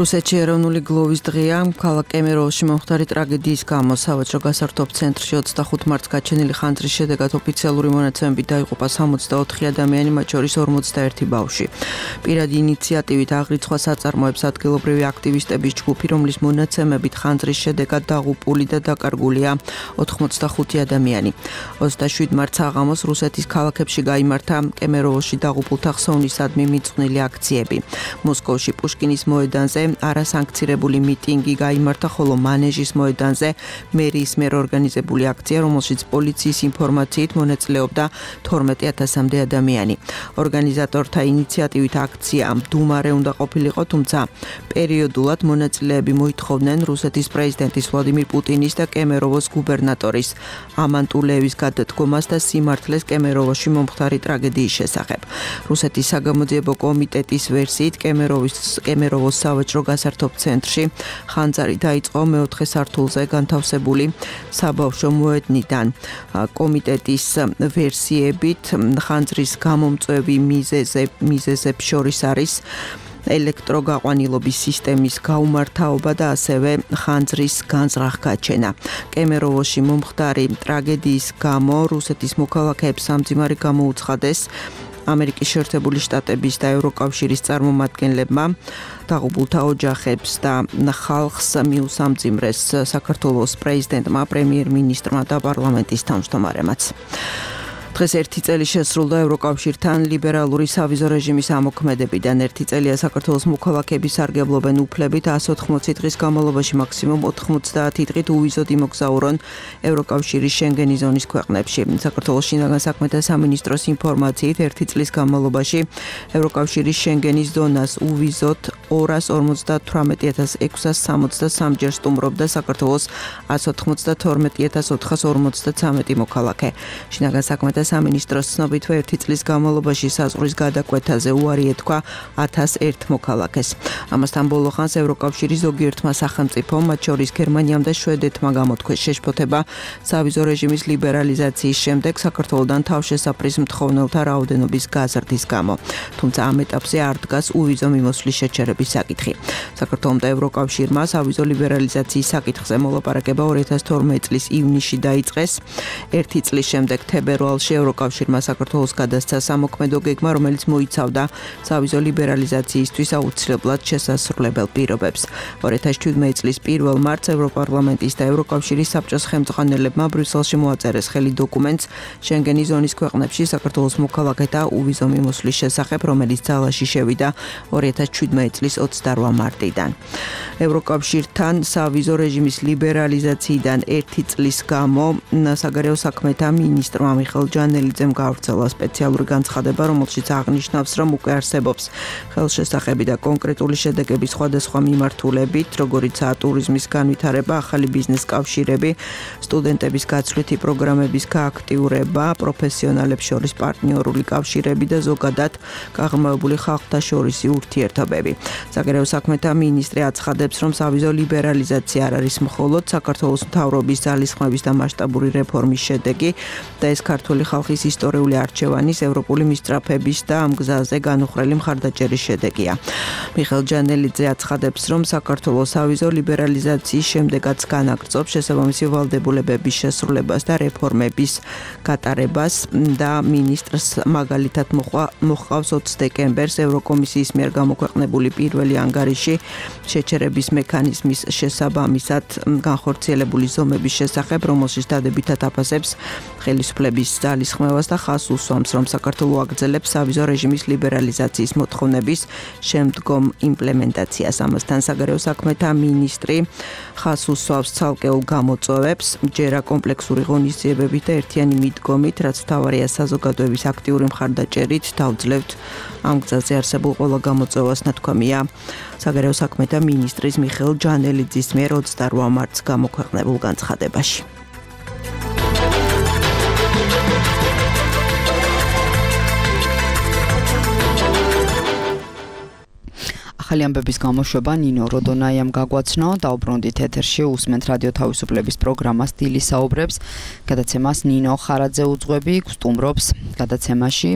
რუსეთში ეროვნული გლოვის დღეა. ქალაქ კემეროვოში მომხდარი ტრაგედიის გამო სავაჭრო გასართობ ცენტრში ოცდახუთ მარტს გაჩენილი ხანძრის შედეგად ოფიციალური მონაცემებით დაიღუპა სამოცდაოთხი ადამიანი, მათ შორის ორმოცდაერთი ბავშვი. პირადი ინიციატივით აღრიცხვა საწარმოებს ადგილობრივი აქტივისტების ჯგუფი, რომლის მონაცემებით ხანძრის შედეგად დაღუპული და დაკარგულია ოთხმოცდახუთი ადამიანი. ოცდაშვიდ მარტს საღამოს რუსეთის ქალაქებში გაიმართა კემეროვოში დაღუპულთა ხსოვნისადმი მიძღვნილი აქციები. მოსკოვში პუშკინის მოედანზე არასანქცირებული მიტინგი გაიმართა, ხოლო მანეჟის მოედანზე მერიის მიერ ორგანიზებული აქცია, რომელშიც პოლიციის ინფორმაციით მონაწილეობდა თორმეტი ათასამდე ადამიანი. ორგანიზატორთა ინიციატივით აქცია მდუმარე უნდა ყოფილიყო, თუმცა პერიოდულად მონაწილეები მოითხოვდნენ რუსეთის პრეზიდენტის ვლადიმირ პუტინის და კემეროვოს გუბერნატორის ამან ტულეევის გადადგომას და სიმართლეს კემეროვოში მომხდარი ტრაგედიის შესახებ. რუსეთის საგამოძიებო კომიტეტის ვერსიით კემეროვის კემეროვოს სავაჭრო გასართობ ცენტრში ხანძარი დაიწყო მეოთხე სართულზე განთავსებული საბავშვო მოედნიდან. კომიტეტის ვერსიებით ხანძრის გამომწვევი მიზეზებს შორის არის ელექტროგაყვანილობის სისტემის გაუმართავობა და ასევე ხანძრის განზრახ გაჩენა. კემეროვოში მომხდარი ტრაგედიის გამო რუსეთის მოქალაქეებს სამძიმარი გამოუცხადეს. ამერიკის შეერთებული შტატების და ევროკავშირის წარმომადგენლებმა დაღუპულთა ოჯახებს და ხალხს მიუსამძიმრეს საქართველოს პრეზიდენტმა, პრემიერ-მინისტრმა და პარლამენტის თავმჯდომარემაც. დღეს ერთი წელი შესრულდა ევროკავშირთან ლიბერალური სავიზო რეჟიმის ამოქმედებიდან. ერთი წელია საქართველოს მოქალაქეები სარგებლობენ უფლებით one hundred eighty დღის განმავლობაში მაქსიმუმ ოთხმოცდაათი დღით უვიზოდ იმოგზაურონ ევროკავშირის შენგენის ზონის ქვეყნებში. საქართველოს შინაგან საქმეთა სამინისტროს ინფორმაციით ერთი წლის განმავლობაში ევროკავშირის შენგენის ზონას უვიზოდ ორას ორმოცდათვრამეტი ათას ექვსას სამოცდასამი ჯერ სტუმრობდა საქართველოს one hundred ninety-two ათას ოთხას ორმოცდათვრამეტი მოქალაქე. შინაგან საქმეთა და სამინისტროს ცნობით ერთი წლის განმავლობაში საზღვრის გადაკვეთაზე უარი ეთქვა ათას ერთ მოქალაქეს. ამასთან ბოლო ხანს ევროკავშირის ზოგიერთმა სახელმწიფომ, მათ შორის გერმანიამ და შვედეთმა გამოთქვეს შეშფოთება სავიზო რეჟიმის ლიბერალიზაციის შემდეგ საქართველოდან თავშესაფრის მთხოვნელთა რაოდენობის გაზრდის გამო. თუმცა ამ ეტაპზე არ დგას უვიზო მიმოსვლის შეჩერების საკითხი. საქართველომ და ევროკავშირმა სავიზო ლიბერალიზაციის საკითხზე მოლაპარაკება ორი ათას თორმეტი წლის ივნისში დაიწყეს. ერთი წლის შემდეგ თებერვალში ევროკავშირმა საქართველოს გადასცა სამოქმედო გეგმა, რომელიც მოიცავდა სავიზო ლიბერალიზაციისთვის აუცილებლად შესასრულებელ პირობებს. ორი ათას შვიდმეტი წლის პირველ მარტს ევროპარლამენტის და ევროკავშირის საბჭოს ხელმძღვანელებმა ბრიუსელში მოაწერეს ხელი დოკუმენტს შენგენის ზონის ქვეყნებში საქართველოს მოქალაქეთა უვიზო მიმოსვლის შესახებ, რომელიც ძალაში შევიდა ორი ათას შვიდმეტი წლის ოცდაოთხ მარტიდან. ევროკავშირთან სავიზო რეჟიმის ლიბერალიზაციიდან ერთი წლის გამო საგარეო საქმეთა მინისტრმა მიხეილ ჯანელიძემ გაავრცელა სპეციალური განცხადება, რომელშიც აღნიშნავს, რომ უკვე არსებობს ხელშესახები და კონკრეტული შედეგები სხვადასხვა მიმართულებით, როგორიცაა ტურიზმის განვითარება, ახალი ბიზნეს კავშირები, სტუდენტების გაცვლითი პროგრამების გააქტიურება, პროფესიონალებს შორის პარტნიორული კავშირები და ზოგადად გაღრმავებული ხალხთა შორისი ურთიერთობები. საგარეო საქმეთა მინისტრი აცხადებს, რომ სავიზო ლიბერალიზაცია არ არის მხოლოდ საქართველოს მთავრობის ძალისხმების და მასშტაბური რეფორმის შედეგი და ეს ქართული ხალხის ისტორიული არჩევანის, ევროპული მისწრაფების და ამ გზაზე განუხრელი მხარდაჭერის შედეგია. მიხეილ ჯანელიძე აცხადებს, რომ საქართველოს სავიზო ლიბერალიზაციის შემდეგაც განაგრძობს შესაბამისი ვალდებულებების შესრულებას და რეფორმების გატარებას და მინისტრს მაგალითად მოჰყავს ოცი დეკემბერს ევროკომისიის მიერ გამოქვეყნებული პირველი ანგარიში შეჩერების მექანიზმის შესაბამისად განხორციელებული ზომების შესახებ, რომელშიც დადებითად აფასებს ხელისუფლების ძალისხმევას და ხაზს უსვამს, რომ საქართველო აგრძელებს სავიზო რეჟიმის ლიბერალიზაციის მოთხოვნების შემდგომ იმპლემენტაციას. ამასთან საგარეო საქმეთა მინისტრი ხაზს უსვამს ცალკეულ გამოწვევებს, ჯერა კომპლექსური ღონისძიებებით და ერთიანი მიდგომით, რაც მთავარია საზოგადოების აქტიური მხარდაჭერით დავძლევთ ამ გზაზე არსებულ ყველა გამოწვევას, ნათქვამია საგარეო საქმეთა მინისტრის მიხეილ ჯანელიძის მიერ ოცდაოთხ მარტს გამოქვეყნებულ განცხადებაში. ახალი ამბების გამოშვება ნინო როდონაიამ გაგვაცნო, დაუბრუნდით ეთერში, უსმენთ რადიო თავისუფლების პროგრამას დილის საუბრებს, გადაცემას ნინო ხარაძე უძღვები, გსტუმრობს გადაცემაში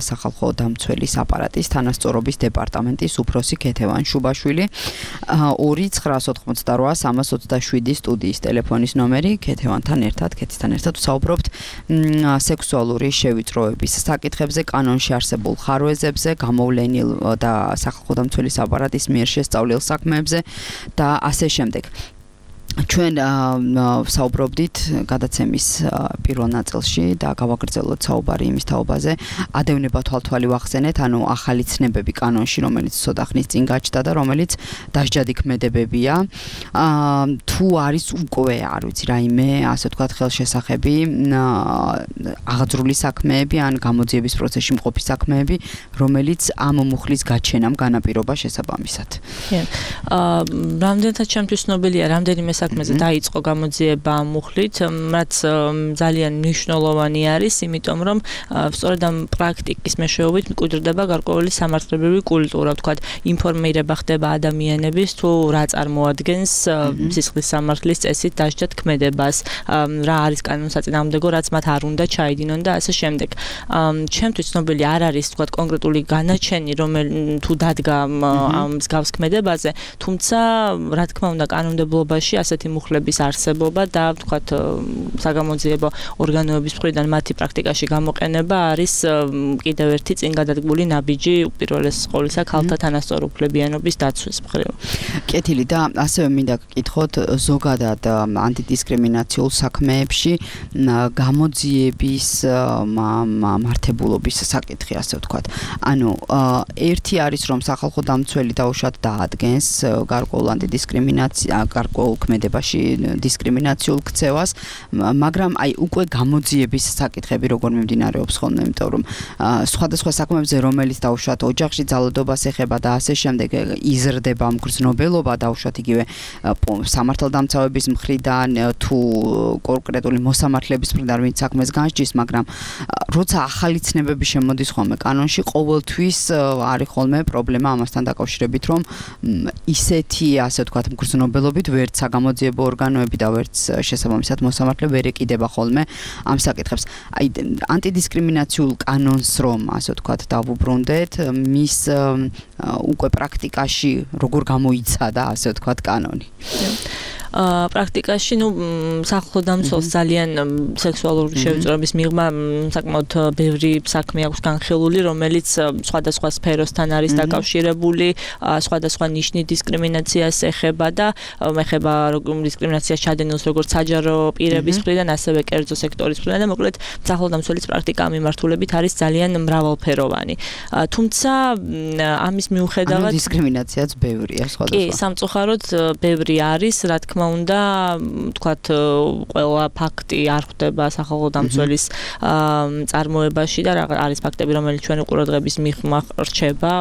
სახალხო დამცველის აპარატის თანასწორობის დეპარტამენტის უფროსი ქეთევან შუბაშვილი. ორი ცხრაას ოთხმოცდაოთხ სამას ოცდაშვიდი სტუდიის ტელეფონის ნომერი, ქეთევანთან ერთად, ქეთისთან ერთად ვსაუბრობთ სექსუალური შევიწროების საკითხებზე, კანონში არსებულ ხარვეზებზე, გამოვლენილ და სახალხო დამცველის აპარატის მიერ შესწავლილ საქმეებზე და ასე შემდეგ. ჩვენ საუბრობდით გადაცემის პირველ ნაწილში და გავაგრძელოთ საუბარი იმის თაობაზე, ადევნება თვალთვალი ვახსენეთ, ანუ ახალი ცნებები კანონში, რომელიც ცოტა ხნის წინ გაჩნდა და რომელიც დასჯადი ქმედებებია. თუ არის უკვე, არ ვიცი, რაიმე, ასე ვთქვათ, ხელშესახები, აღძრული საქმეები ან გამოძიების პროცესში მყოფი საქმეები, რომელიც ამ მუხლის გაჩენამ განაპირობა შესაბამისად. კი. რამდენად ჩემთვის ცნობილია, რამდენიმე საქმეზე დაიწყო გამოძიება ამ მუხლით, რაც ძალიან მნიშვნელოვანი არის, იმიტომ რომ სწორედ ამ პრაქტიკის მეშვეობით მკვიდრდება გარკვეული სამართლებრივი კულტურა, ვთქვათ, ინფორმირება ხდება ადამიანების თუ რა წარმოადგენს სისხლის სამართლის წესით დასჯად ქმედებას, რა არის კანონსაწინააღმდეგო, რაც მათ არ უნდა ჩაიდინონ და ასე შემდეგ. ჩემთვის ცნობილი არ არის, ვთქვათ, კონკრეტული განაჩენი, რომელიც თუ დადგა ამ მსგავს ქმედებაზე, თუმცა რა თქმა უნდა კანონმდებლობაში ასეთი მუხლების არსებობა და ვთქვათ საგამოძიებო ორგანოების მხრიდან მათი პრაქტიკაში გამოყენება არის კიდევ ერთი წინ გადადგმული ნაბიჯი უპირველეს ყოვლისა ქალთა თანასწორუფლებიანობის დაცვის მხრივ. კეთილი და ასევე მინდა გკითხოთ ზოგადად ანტიდისკრიმინაციულ საქმეებში გამოძიების მართებულობის საკითხი, ასე ვთქვათ. ანუ ერთი არის რომ სახალხო დამცველი დაუშვათ დაადგენს გარკვეულ ანტიდისკრიმინაცია, გარკვეულ მოქმედებაში დისკრიმინაციულ ქცევას, მაგრამ აი უკვე გამოძიების საკითხები როგორ მიმდინარეობს ხოლმე, იმიტომ რომ სხვადასხვა საქმეებზე რომელიც დაუშვათ ოჯახში ძალადობას ეხება და ასე შემდეგ იზრდება მგრძნობელობა დაუშვათ იგივე სამართალდამცავების მხრიდან თუ კონკრეტული მოსამართლეების მხრიდან ვინც საქმეს განსჯის, მაგრამ როცა ახალი ცნებები შემოდის ხოლმე კანონში, ყოველთვის არის ხოლმე პრობლემა ამასთან დაკავშირებით, რომ ისეთი, ასე ვთქვათ, მგრძნობელობით ვერც საგამოძიებო ორგანოები და ვერც შესაბამისად მოსამართლე ვერ ეკიდება ხოლმე ამ საკითხებს. აი ანტიდისკრიმინაციულ კანონს რომ, ასე ვთქვათ, დავუბრუნდეთ, მის უკვე პრაქტიკაში როგორ გამოიცადა, ასე ვთქვათ, კანონი. პრაქტიკაში, ну, სახალხო დამცველს ძალიან სექსუალური შევიწროების მიღმა საკმაოდ ბევრი საქმე აქვს განხილული, რომელიც სხვადასხვა სფეროსთან არის დაკავშირებული, სხვადასხვა ნიშნის დისკრიმინაციას ეხება და ეხება დისკრიმინაციას ჩადენილს როგორც საჯარო პირების მხრიდან, ასევე კერძო სექტორის მხრიდან და მოკლედ სახალხო დამცველის პრაქტიკა მიმართულებით არის ძალიან მრავალფეროვანი. თუმცა ამის მიუხედავად დისკრიმინაციაც ბევრია სხვადასხვა. კი, სამწუხაროდ ბევრი არის, რა თქმა უნდა, თქვათ, ყველა ფაქტი არ ხვდება სახალხო დამცველის წარმოებაში და არის ფაქტები, რომელიც ჩვენი ყურადღების მიღმა რჩება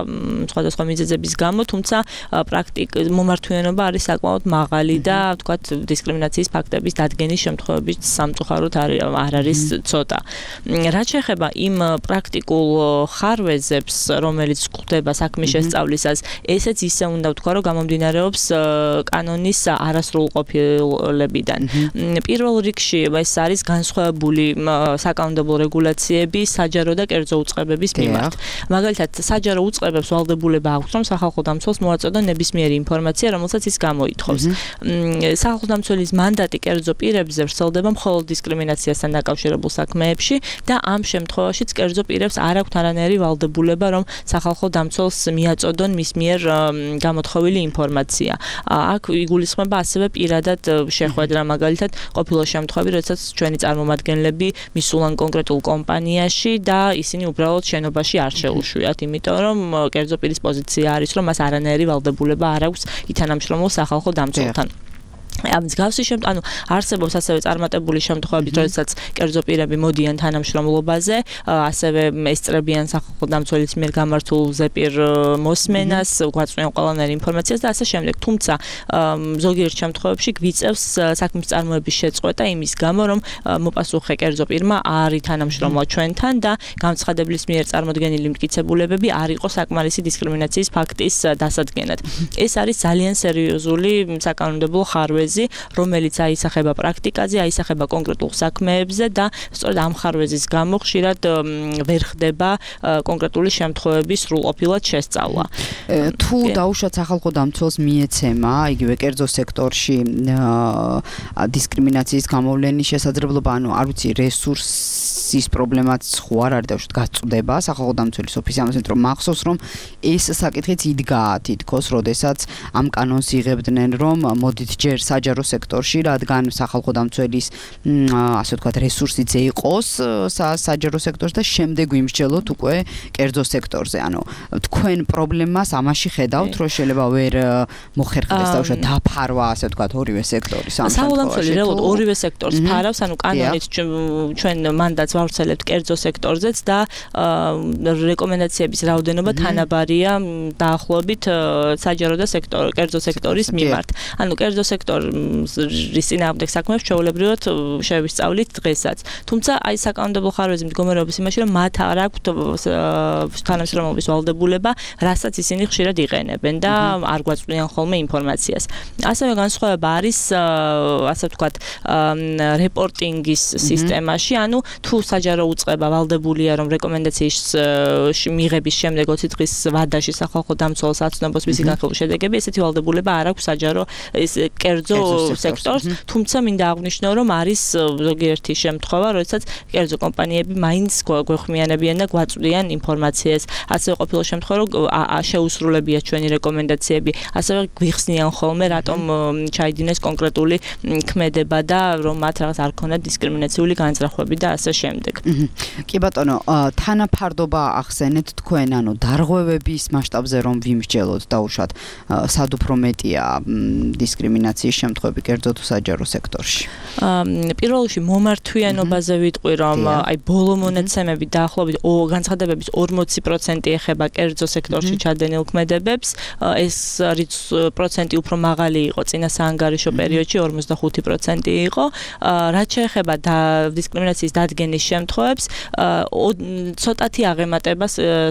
სხვადასხვა მიზეზების გამო, თუმცა პრაქტიკ მომართვიანობა არის საკმაოდ მაღალი და თქვათ, დისკრიმინაციის ფაქტების დადგენის შემთხვევებით სამწუხაროდ არ არის ცოტა. რაც შეეხება იმ პრაქტიკულ ხარვეზებს, რომელიც გვხვდება საქმის შესწავლისას, ესეც ისე უნდა ვთქვა, რომ გამომდინარეობს კანონის არასრულ ყოფილებიდან. პირველ რიგში ეს არის განსხვავებული საკანონმდებლო რეგულაციები საჯარო და კერძო უწყებების მიმართ. მაგალითად, საჯარო უწყებებს ვალდებულება აქვს, რომ სახალხო დამცველს მოაწოდონ ნებისმიერი ინფორმაცია, რომელსაც ის გამოითხოვს. სახალხო დამცველის მანდატი კერძო პირებზე ვრცელდება მხოლოდ დისკრიმინაციასთან დაკავშირებულ საქმეებში და ამ შემთხვევაშიც კერძო პირებს არ აქვთ არანაირი ვალდებულება, რომ სახალხო დამცველს მიაწოდონ მის მიერ გამოთხოვილი ინფორმაცია. აქ იგულისხმება ასევე პირადად შეხვედრა, მაგალითად, ყოფილა შემთხვევები, როდესაც ჩვენი წარმომადგენლები მისულან კონკრეტულ კომპანიაში და ისინი უბრალოდ შენობაში არ შეუშვიათ, იმიტომ რომ კერძო პირის პოზიცია არის, რომ მას არანაირი ვალდებულება არ აქვს ითანამშრომლოს სახალხო დამცველთან. ამ მსგავსი შემთხვევაში, ანუ არსებობს ასევე წარმატებული შემთხვევები, როდესაც კერძო პირები მოდიან თანამშრომლობაზე, ასევე ესწრებიან სახალხო დამცველის მიერ გამართულ ზეპირ მოსმენას, გვაწვდიან ყველანაირ ინფორმაციას და ასე შემდეგ. თუმცა ზოგიერთ შემთხვევებში გვიწევს საქმის წარმოების შეწყვეტა იმის გამო, რომ მოპასუხე კერძო პირმა არ ითანამშრომლა ჩვენთან და განცხადებლის მიერ წარმოდგენილი მტკიცებულებები არ იყო საკმარისი დისკრიმინაციის ფაქტის დასადგენად. ეს არის ძალიან სერიოზული საკანონმდებლო ხარვეზი, რომელიც აისახება პრაქტიკაზე, აისახება კონკრეტულ საქმეებზე და სწორედ ამ ხარვეზის გამო ხშირად ვერ ხდება კონკრეტული შემთხვევების სრულყოფილად შესწავლა. თუ დაუშვათ სახალხო დამცველს მიეცემა, იგივე კერძო სექტორში დისკრიმინაციის გამოვლენის შესაძლებლობა, ანუ არ ვიცი, რესურსის პრობლემაც ხო არ არის დაუშვათ გაწვდება სახალხო დამცველის ოფისი, ამას მეტყვი მახსოვს, რომ ეს საკითხიც იდგა თითქოს, როდესაც ამ კანონს იღებდნენ, რომ მოდით ჯერ საჯარო სექტორში, რადგან სახალხო დამცველის ასე ვთქვათ რესურსიც იყოს საჯარო სექტორში და შემდეგ ვიმსჯელოთ უკვე კერძო სექტორზე. ანუ თქვენ პრობლემას ამაში ხედავთ, რომ შეიძლება ვერ მოხერხდეს დაუშვათ დაფარვა, ასე ვთქვათ, ორივე სექტორის ამ სახალხო დამცველი რეალურად ორივე სექტორს ფარავს, ანუ კანონით ჩვენ მანდატს ვავრცელებთ კერძო სექტორზეც და რეკომენდაციების რაოდენობა თანაბარია დაახლოებით საჯარო და სექტორ კერძო სექტორის მიმართ. ანუ კერძო სექტორის წინააღმდეგ საქმეებს ჩვეულებრივად შევისწავლით დღესაც. თუმცა აი საკანონმდებლო ხარვეზი მდგომარეობს იმაში, რომ მათ არ აქვთ თანამშრომლობის ვალდებულება, რასაც ისინი ხშირად იყენებენ და არ გვაწვდიან ხოლმე ინფორმაციას. ასევე განსხვავება არის, ასე ვთქვათ, რეპორტინგის სისტემაში, ანუ თუ საჯარო უწყება ვალდებულია, რომ რეკომენდაციის მიღების შემდეგ ოცი დღის ვადაში სახალხო დამცველს აცნობს მისი განხილვის შედეგები, ესეთი ვალდებულება არ აქვს საჯარო ეს კერძო სექტორს, თუმცა მინდა აღვნიშნო, რომ არის ზოგიერთი შემთხვევა, როდესაც კერძო კომპანიები მაინც გვეხმიანებიან და გვაწვდიან ინფორმაციას. ასევე ყოფილა შემთხვევა, რომ შეუსრულებია ჩვენი რეკომენდაციები, ასევე გვიხსნიან ხოლმე, რატომ ჩაიდინეს კონკრეტული ქმედება და რომ მათ რაღაც არ ქონდათ დისკრიმინაციული განზრახვები და ასე შემდეგ. კი ბატონო, თანაფარდობა ახსენეთ თქვენ, ანუ დარღვევების მასშტაბზე რომ ვიმსჯელოთ, დაუშვათ, სად უფრო მეტია დისკრიმინაციის შემთხვევები კერძო თუ საჯარო სექტორში? პირველ რიგში მომართვიანობაზე ვიტყვი, რომ აი ბოლო მონაცემები დაახლოებით განცხადებების ორმოცი პროცენტი ეხება კერძო სექტორში ჩადენილ ქმედებებს. ეს პროცენტი უფრო მაღალი იყო წინა საანგარიშო პერიოდში ორმოცდახუთი პროცენტი იყო. რაც შეეხება დისკრიმინაციის დადგენის შემთხვევებს, ცოტათი აღემატება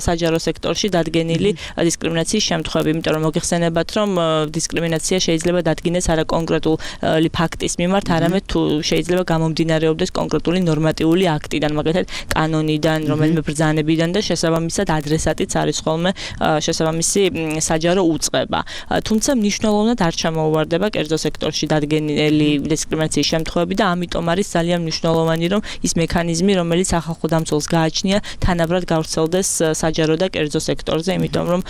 საჯარო სექტორში დადგენილი დისკრიმინაციის შემთხვევები, იმიტომ რომ მოგეხსენებათ, რომ დისკრიმინაცია შეიძლება დადგინდეს არა კონკრეტული ფაქტის მიმართ, არამედ თუ შეიძლება გამომდინარეობდეს კონკრეტული ნორმატიული აქტიდან, მაგალითად კანონიდან, რომელიმე ბრძანებიდან და შესაბამისად ადრესატიც არის ხოლმე შესაბამისი საჯარო უწყება. თუმცა მნიშვნელოვნად არ ჩამოუვარდება კერძო სექტორში დადგენილი დისკრიმინაციის შემთხვევები და ამიტომ არის ძალიან მნიშვნელოვანი, რომ ის მექანიზმი, რომელიც ახალ დამცველს გააჩნია, თანაბრად გავრცელდეს საჯარო და კერძო სექტორზე, იმიტომ რომ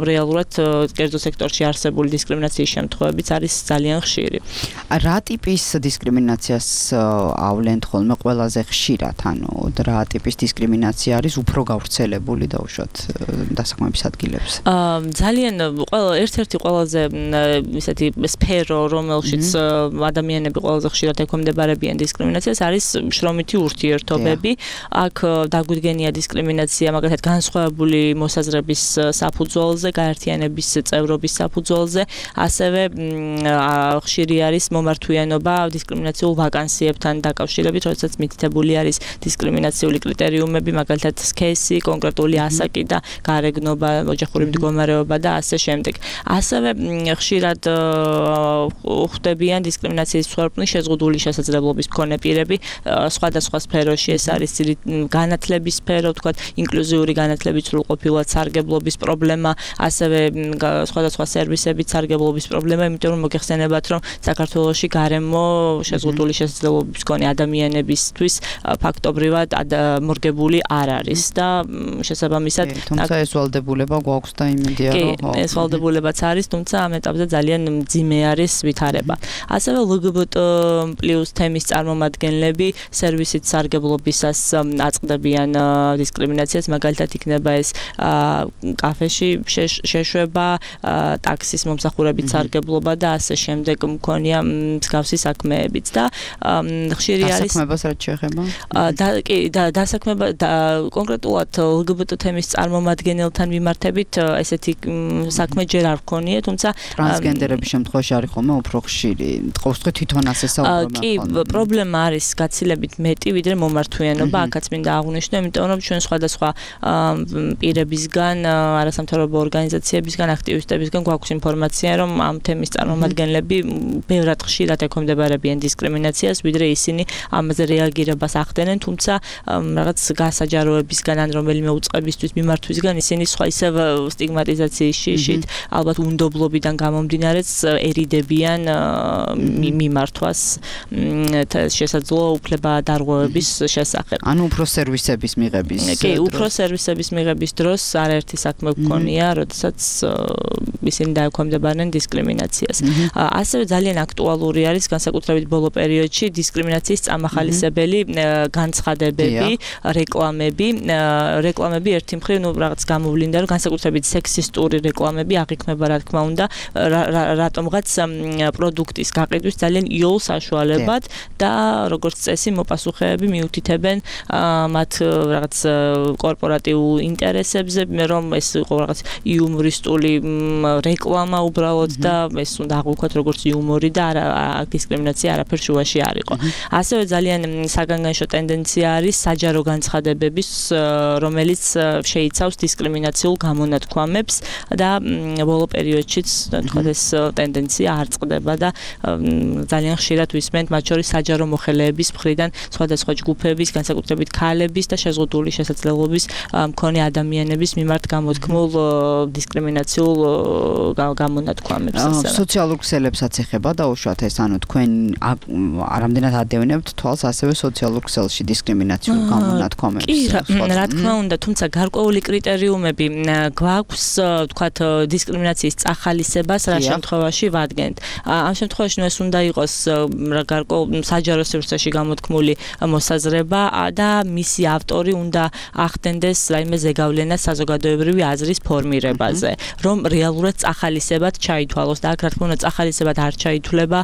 რეალურად კერძო სექტორში არსებული დისკრიმინაციის შემთხვევებიც არის ძალიან ხშირი. რა ტიპის დისკრიმინაციას ავლენთ ხოლმე ყველაზე ხშირად, ანუ რა ტიპის დისკრიმინაცია არის უფრო გავრცელებული დაუშვათ დასაქმების ადგილებზე? ძალიან ყველა ერთ-ერთი ყველაზე ისეთი სფერო, რომელშიც ადამიანები ყველაზე ხშირად ექვემდებარებიან დისკრიმინაციას, არის შრომითი ურთიერთობები. აქ დაგვიდგენია დისკრიმინაცია მაგალითად განსხვავებული მოსაზრების საფუძველზე, გაერთიანების წევრობის საფუძველზე, ასევე ხშირი არის მომართვიანობა დისკრიმინაციულ ვაკანსიებთან დაკავშირებით, როდესაც მითითებული არის დისკრიმინაციული კრიტერიუმები, მაგალითად სქესი, კონკრეტული ასაკი და გარეგნობა, ოჯახური მდგომარეობა და ასე შემდეგ. ასევე ხშირად ხვდებიან დისკრიმინაციის მსხვერპლი შეზღუდული შესაძლებლობის მქონე პირები, სხვადასხვა სფეროში, ეს არის განათლების სფერო, თქვათ, ინკლუზიური განათლების სრულყოფილად სარგებლობის პრობლემა, ასევე სხვადასხვა სერვისებით სარგებლობის პრობლემა, იმიტომ რომ მოგეხსენებათ, რომ საქართველოში გარემო შეზღუდული შესაძლებლობის მქონე ადამიანებისთვის ფაქტობრივად მორგებული არ არის და შესაბამისად თუმცა ეს ვალდებულება გვაქვს და იმედია რომ ხო ეს ვალდებულებაც არის, თუმცა ამ ეტაპზე ძალიან მძიმე არის ვითარება. ასევე ლგბტ+ თემის წარმომადგენლები სერვისით სარგებლობისას აწყდებიან დისკრიმინაციას, მაგალითად იქნება ეს კაფეში შეშვება, ტაქსის მომსახურებით სარგებლობა და ასე შემდეგ მქონია მსგავსი საქმეებიც და ხშირი არის დასაქმებას რაც შეეხება? და კი და დასაქმება კონკრეტულად ლგბტ თემის წარმომადგენელთან მიმართებით ესეთი საქმე ჯერ არ გქონია, თუმცა ტრანსგენდერების შემთხვევაში არის ხოლმე უფრო ხშირი. ყოველთვის თვითონ ასე საუბრობენ. კი, პრობლემა არის გაცილებით მეტი, ვიდრე მომართვიანობა, აქაც მინდა აღვნიშნო, იმიტომ რომ ჩვენ სხვადასხვა პირებისგან, არასამთავრობო ორგანიზაციებისგან, აქტივისტებისგან გვაქვს ინფორმაცია, რომ ამ თემის წარმომადგენლები ბევრად ხშირად ექვემდებარებიან დისკრიმინაციას, ვიდრე ისინი ამაზე რეაგირებას ახდენენ, თუმცა რაღაც გასაჯაროებისგან ან რომელიმე უწყებისთვის მიმართვისგან ისინი სხვა ისევ სტიგმატიზაციის შიშით, ალბათ უნდობლობიდან გამომდინარეც ერიდებიან მიმართვას შესაძლო უფლება დარღვევების შესახებ. ანუ უფრო სერვისების მიღების კი, უფრო სერვისების მიღების დროს არაერთი საქმე გქონია, როდესაც ისინი დაექვემდებარებიან დისკრიმინაციას. ასევე ძალიან აქტუალური არის განსაკუთრებით ბოლო პერიოდში დისკრიმინაციის წამახალისებელი განცხადებები, რეკლამები. რეკლამები ერთი მხრივ, ну, რაღაც გამოვლინდა, რომ განსაკუთრებით სექსისტური რეკლამები აღიქმება, რა თქმა უნდა, რატომღაც პროდუქტის გაყიდვის ძალიან იოლ საშუალებად და როგორც წესი მოპასუხეები მიუთითებენ მათ რაღაც კორპორატიულ ინტერესებზე, რომ ეს იყო რაღაც იუმორისტული რეკლამა უბრალოდ და ეს უნდა აღვიქვათ როგორც იუმორი და არა დისკრიმინაცია არაფერ შუაში არ იყო. ასევე ძალიან საგანგაშო ტენდენცია არის საჯარო განცხადებების, რომელიც შეიცავს დისკრიმინაციულ გამონათქვამებს და ბოლო პერიოდშიც თქვათ ეს ტენდენცია არ წყდება და ძალიან ხშირად ვისმენთ მათ შორის საჯარო მოხელეების მხრიდან სხვადასხვა ჯგუფების, განსაკუთრებით ქალების და შეზღუდული შესაძლებლობის მქონე ადამიანების მიმართ გამოთქმულ დისკრიმინაციულ გამონათქვამებს. სოციალურ ქსელებსაც ეხება დაუშვათ ეს, ანუ თქვენ რამდენად ადევნებთ თვალს ასევე სოციალურ ქსელში დისკრიმინაციულ გამონათქვამებს? კი, რა თქმა უნდა, თუმცა გარკვეული კრიტერიუმები გვაქვს, თქვათ, დისკრიმინაციის წახალისებას რა შემთხვევაში ვადგენთ. ამ შემთხვევაში ეს უნდა იყოს გარკვეულ საჯარო სივრცეში გამოთქმული მოსაზრება და მისი ავტორი უნდა ახდენდეს რაიმე ზეგავლენა საზოგადოებრივი აზრის ფორმირებაზე, რომ რეალურად წახალისებად ჩაითვალოს და აქ რა თქმა უნდა წახალისება ხალისებად არ ჩაითვლება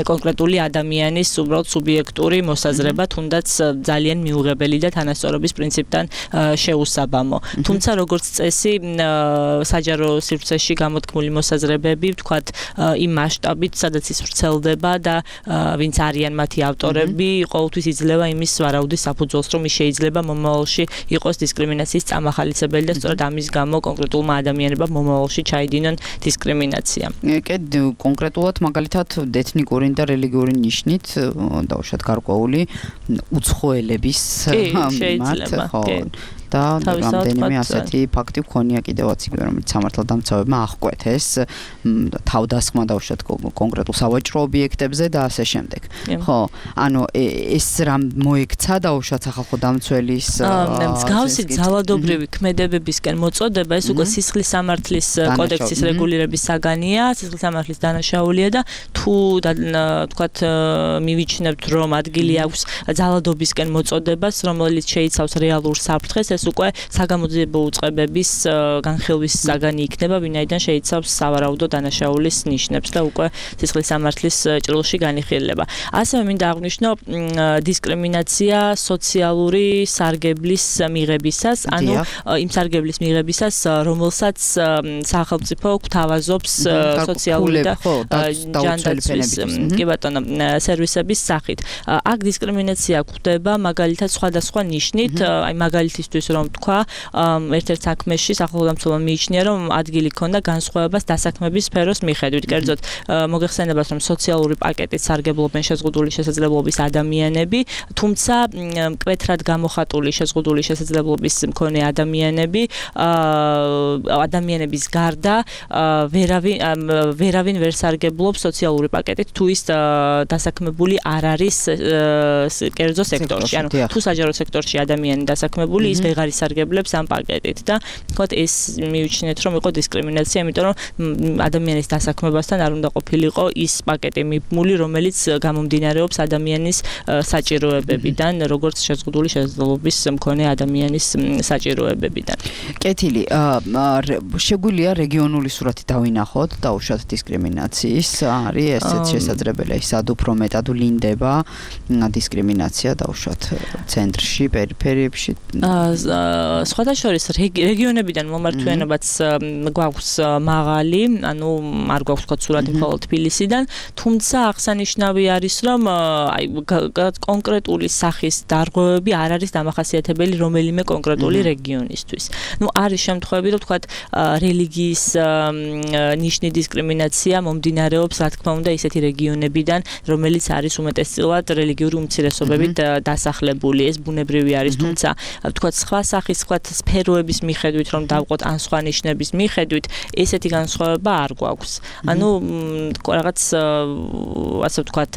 კონკრეტული ადამიანის უბრალოდ სუბიექტური მოსაზრება, თუნდაც ძალიან მიუღებელი და თანასწორობის პრინციპთან შეუსაბამო. თუმცა როგორც წესი, საჯარო სივრცეში გამოთქმული მოსაზრებები, ვთქვათ, იმ მასშტაბით, სადაც ის ვრცელდება და ვინც არიან მათი ავტორები, ყოველთვის იძლევა იმის ვარაუდის საფუძველს, რომ ის შეიძლება მომავალში იყოს დისკრიმინაციის წამახალისებელი და სწორედ ამის გამო კონკრეტულმა ადამიანებმა მომავალში ჩაიდინონ დისკრიმინაცია. კი, კონკრეტულად მაგალითად ეთნიკური და რელიგიური ნიშნით დაუშვათ გარკვეული უცხოელების შეიძლება, კი. და რამდენიმე ასეთი ფაქტი ვქონია კიდევაც იგივე, რომელიც სამართალდამცავებმა აღკვეთეს თავდასხმა დაუშვათ კონკრეტულ სავაჭრო ობიექტებზე და ასე შემდეგ. ხო, ანუ ეს რამ მოექცა დაუშვათ სახალხო დამცველის მსგავსი ძალადობრივი ქმედებებისკენ მოწოდება, ეს უკვე სისხლის სამართლის კოდექსის რეგულირების საგანია, სისხლის სამართლის დანაშაულია და თუ თქვათ მივიჩნევთ, რომ ადგილი აქვს ძალადობისკენ მოწოდებას, რომელიც შეიცავს რეალურ საფრთხეს, ეს უკვე საგამოძიებო უწყებების განხილვის საგანი იქნება, ვინაიდან შეიცავს სავარაუდო დანაშაულის ნიშნებს და უკვე სისხლის სამართლის ჭრილში განიხილება. ასევე მინდა აღვნიშნო დისკრიმინაცია სოციალური სარგებლის მიღებისას, ანუ იმ სარგებლის მიღებისას, რომელსაც სახელმწიფო გვთავაზობს სოციალური და ჯანდაცვის კი ბატონო სერვისების სახით. აქ დისკრიმინაცია გვხვდება მაგალითად სხვადასხვა ნიშნით, აი მაგალითისთვის რომ თქვა, ერთ-ერთ საქმეში სახელმწიფო მიიჩნია, რომ ადგილი ქონდა განსხვავებას დასაქმების სფეროს მიხედვით. კერძოდ, მოგეხსენებათ, რომ სოციალური პაკეტით სარგებლობენ შეზღუდული შესაძლებლობის ადამიანები, თუმცა მკვეთრად გამოხატული შეზღუდული შესაძლებლობის მქონე ადამიანები, ადამიანების გარდა ვერავინ ვერავინ ვერ სარგებლობს სოციალური პაკეტით, თუ ის დასაქმებული არ არის კერძო სექტორში. ანუ თუ საჯარო სექტორში ადამიანი დასაქმებული, ის ვეღარ ისარგებლებს ამ პაკეტით და თქვათ ეს მივიჩნიეთ, რომ იყო დისკრიმინაცია, იმიტომ რომ ადამიანის დასაქმებასთან არ უნდა ყოფილიყო ის პაკეტი მიბმული, რომელიც გამომდინარეობს ადამიანის საჭიროებებიდან, როგორც შეზღუდული შესაძლებლობის მქონე ადამიანის საჭიროებებიდან. კეთილი, შეგვიძლია რეგიონული სურათი დავინახოთ, დაუშვათ დისკრიმინაციის, არის ესეც შესაძლებელია, სად უფრო მეტად ვლინდება დისკრიმინაცია დაუშვათ ცენტრში, პერიფერიებში. სხვადასხვა რეგიონებიდან მომართვიანობაც გვაქვს მაღალი, ანუ არ გვაქვს თქვა სურათი მხოლოდ თბილისიდან, თუმცა აღსანიშნავი არის, რომ აი კონკრეტული სახის დარღვევები არ არის დამახასიათებელი რომელიმე კონკრეტული რეგიონისთვის. ნუ არის შემთხვევები, რომ თქვა რელიგიის ნიშნი დისკრიმინაცია მომდინარეობს, რა თქმა უნდა, ისეთი რეგიონებიდან, რომელიც არის უმეტესწილად რელიგიური უმცირესობებით დასახლებული, ეს ბუნებრივი არის, თუმცა თქვა სხვა სახის, სხვა სფეროების მიხედვით, რომ დავყოთ ან სხვა ნიშნების მიხედვით, ესეთი განსხვავება არ გვაქვს. ანუ რაღაც ასე ვთქვათ,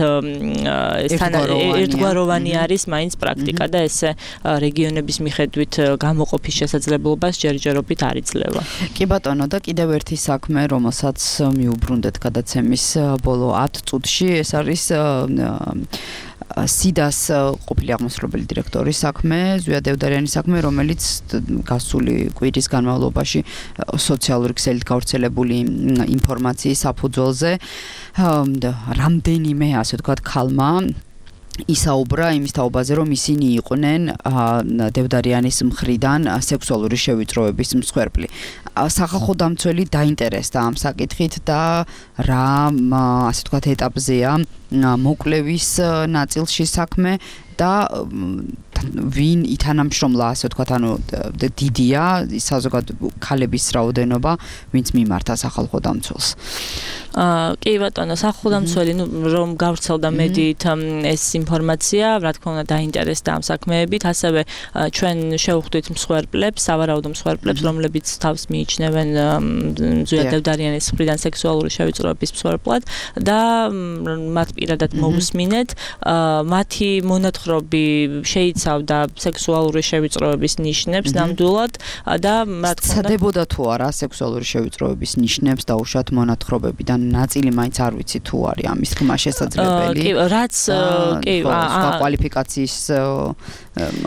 ერთგვაროვანი არის მაინც პრაქტიკა და ესე რეგიონების მიხედვით გამოყოფის შესაძლებლობას ჯერჯერობით არ იძლევა. კი ბატონო, და კიდევ ერთი საქმე, რომელსაც მიუბრუნდეთ გადაცემის ბოლო ათ წუთში, ეს არის სიდას ყოფილი აღმასრულებელი დირექტორის საქმე, ზვია დევდარიანის საქმე, რომელიც გასული კვირის განმავლობაში სოციალური ქსელით გავრცელებული ინფორმაციის საფუძველზე რამდენიმე, ასე ვთქვათ, ქალმა ისაუბრა იმის თაობაზე, რომ ისინი იყვნენ დევდარიანის მხრიდან სექსუალური შევიწროების მსხვერპლი. სახალხო დამცველი დაინტერესდა ამ საკითხით და რა, ასე ვთქვათ, ეტაპზეა მოკვლევის ნაწილში საქმე და ვინ ითანამშრომლა, ასე ვთქვათ, ანუ დიდია საზოგადო ქალების რაოდენობა, ვინც მიმართა სახალხო დამცველს. კი ბატონო, სახალხო დამცველი, ნუ რომ გავრცელდა მედიით ეს ინფორმაცია, რა თქმა უნდა დაინტერესდა ამ საქმეებით, ასევე ჩვენ შევხვდით მსხვერპლებს, სავარაუდო მსხვერპლებს, რომლებიც თავს მიიჩნევენ ზვია დევდარიანის მხრიდან სექსუალური შევიწროების მსხვერპლად და მათ პირადად მოусმინეთ, მათი მონათხრობი შეიძლება შეიცავდა სექსუალური შევიწროების ნიშნებს ნამდვილად და რა თქმა უნდა ცდებოდა თუ არა სექსუალური შევიწროების ნიშნებს დაუშვათ მონათხრობებიდან ნაწილი მაინც არ ვიცი თუ არის ამის ხმა შესაძლებელი კი რაც კი სხვა კვალიფიკაციის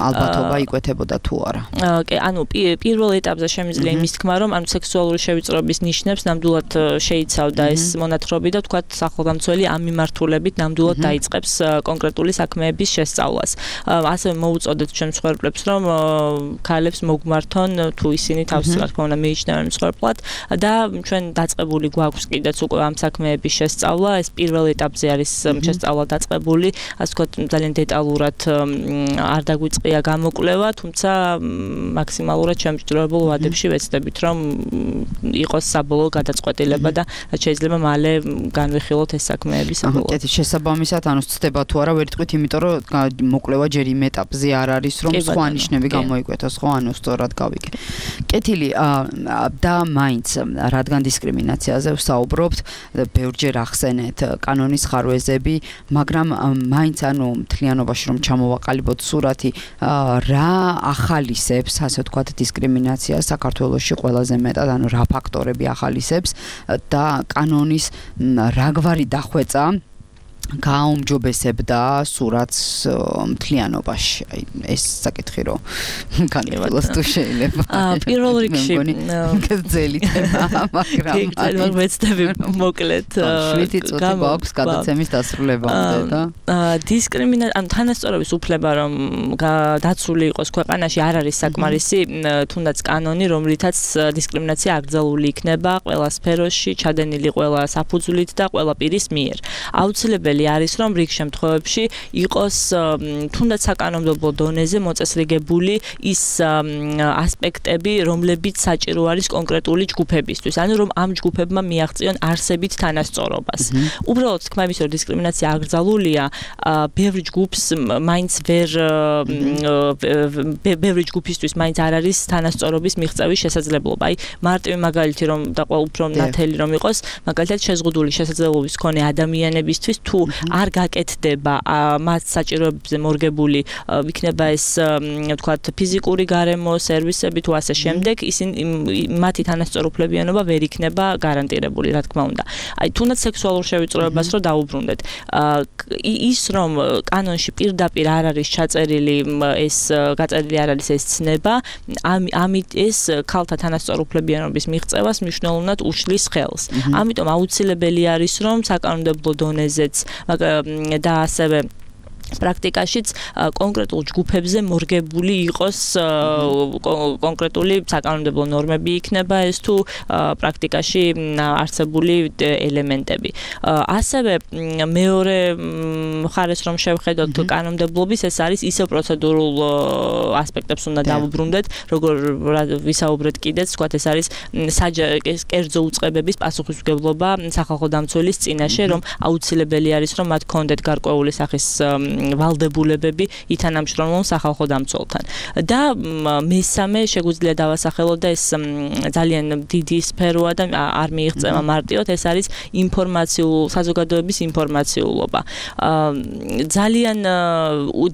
ალბათობა იკვეთებოდა თუ არა კი ანუ პირველ ეტაპზე შემიძლია იმის თქმა რომ ანუ სექსუალური შევიწროების ნიშნებს ნამდვილად შეიცავდა ეს მონათხრობი და თქვათ სახელმწიფო ამ მიმართულებით ნამდვილად დაიწყებს კონკრეტული საქმეების შესწავლას. ასევე მოუწოდეთ ჩემს მსხვერპლებს რომ ქალებს მოგმართონ თუ ისინი თავს რა თქმა უნდა მიიჩნევენ მსხვერპლად და ჩვენ დაწყებული გვაქვს კიდეც უკვე ამ საქმეების შესწავლა. ეს პირველ ეტაპზე არის შესწავლა დაწყებული, ასე ვთქვათ ძალიან დეტალურად არ დაგვიწყია გამოკვლევა, თუმცა მაქსიმალურად შემჭდროებულ ვადებში ვეცდებით რომ იყოს საბოლოო გადაწყვეტილება და შეიძლება მალე განვიხილოთ ეს საქმეები საბოლოოდ. კი, შესაბამისად, ანუ ცდება თუ არა, ვერ იტყვით, იმიტომ რომ მოკვლევა ჯერ იმ ეტაპზე არ არის, რომ სხვა ნიშნები გამოიკვეთოს, ხო, ანუ სწორად გავიგე. კეთილი და მაინც რადგან დისკრიმინაციაზე ვსაუბრობთ, ბევრჯერ ახსენეთ კანონის ხარვეზები, მაგრამ მაინც ანუ მთლიანობაში რომ ჩამოვაყალიბოთ სურათი, რა ახალისებს, ასე ვთქვათ, დისკრიმინაციას საქართველოში ყველაზე მეტად, ანუ რა ფაქტორები ახალისებს და კანონის რა გვარი დახვეწა გააუმჯობესებდა სურათს მთლიანობაში. აი ეს საკითხი რომ განვიხილოს თუ შეიძლება. პირველ რიგში გძელი თემა, მაგრამ ძალიან მეცდები მოკლედ შვიდი წუთი გვაქვს გადაცემის დასრულებამდე და დისკრიმინაცია ან თანასწორობის უფლება რომ დაცული იყოს ქვეყანაში არ არის საკმარისი, თუნდაც კანონი რომლითაც დისკრიმინაცია აკრძალული იქნება ყველა სფეროში, ჩადენილი ყველა საფუძვლით და ყველა პირის მიერ. აუცილებელი არის რომ რიგ შემთხვევებში იყოს თუნდაც საკანონმდებლო დონეზე მოწესრიგებული ის ასპექტები, რომლებიც საჭირო არის კონკრეტული ჯგუფებისთვის, ანუ რომ ამ ჯგუფებმა მიაღწიონ არსებით თანასწორობას. უბრალოდ თქმა იმის რომ დისკრიმინაცია აკრძალულია, ბევრი ჯგუფს მაინც ვერ ბევრი ჯგუფისთვის მაინც არ არის თანასწორობის მიღწევის შესაძლებლობა. აი მარტივი მაგალითი რომ და ყველა უფრო ნათელი რომ იყოს, მაგალითად შეზღუდული შესაძლებლობის მქონე ადამიანებისთვის თუ არ გაკეთდება მათ საჭიროებებზე მორგებული იქნება ეს ვთქვათ ფიზიკური გარემო, სერვისები თუ ასე შემდეგ, ისინი მათი თანასწორუფლებიანობა ვერ იქნება გარანტირებული, რა თქმა უნდა. აი თუნდაც სექსუალურ შევიწროებას რო დაუბრუნდეთ, ის რომ კანონში პირდაპირ არ არის ჩაწერილი ეს გაწერილი არ არის ეს ცნება, ამით ეს ქალთა თანასწორუფლებიანობის მიღწევას მნიშვნელოვნად უშლის ხელს. ამიტომ აუცილებელი არის რომ საკანონმდებლო დონეზეც და ასევე პრაქტიკაშიც კონკრეტულ ჯგუფებზე მორგებული იყოს კონკრეტული საკანონმდებლო ნორმები იქნება ეს თუ პრაქტიკაში არსებული ელემენტები. ასევე მეორე მხარეს რომ შევხედოთ კანონმდებლობის, ეს არის ისევ პროცედურულ ასპექტებს უნდა დავუბრუნდეთ, როგორ ვისაუბრეთ კიდეც, თქვათ ეს არის კერძო უწყებების პასუხისმგებლობა სახალხო დამცველის წინაშე, რომ აუცილებელი არის რომ მათ ჰქონდეთ გარკვეული სახის ვალდებულებები ითანამშრომლონ სახალხო დამცველთან. და მესამე შეგვიძლია დავასახელოთ და ეს ძალიან დიდი სფეროა და არ მიიღწევა მარტივად, ეს არის ინფორმაციულ საზოგადოების ინფორმაციულობა. ძალიან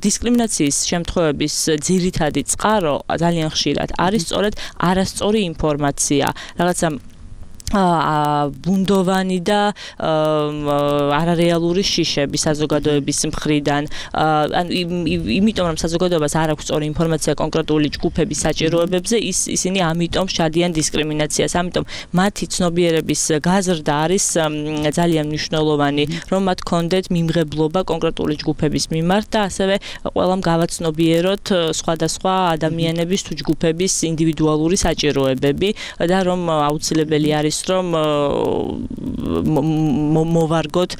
დისკრიმინაციის შემთხვევების ძირითადი წყარო ძალიან ხშირად არის სწორედ არასწორი ინფორმაცია, რაღაცა ბუნდოვანი და არარეალური შიშები საზოგადოების მხრიდან. ანუ იმიტომ რომ საზოგადოებას არ აქვს სწორი ინფორმაცია კონკრეტული ჯგუფების საჭიროებებზე, ის ისინი ამიტომ შადიან დისკრიმინაციას. ამიტომ მათი ცნობიერების გაზრდა არის ძალიან მნიშვნელოვანი, რომ მათ ჰქონდეთ მიმღებლობა კონკრეტული ჯგუფების მიმართ და ასევე ყველამ გავაცნობიეროთ სხვადასხვა ადამიანების თუ ჯგუფების ინდივიდუალური საჭიროებები და რომ აუცილებელი არის რომ მოვარგოთ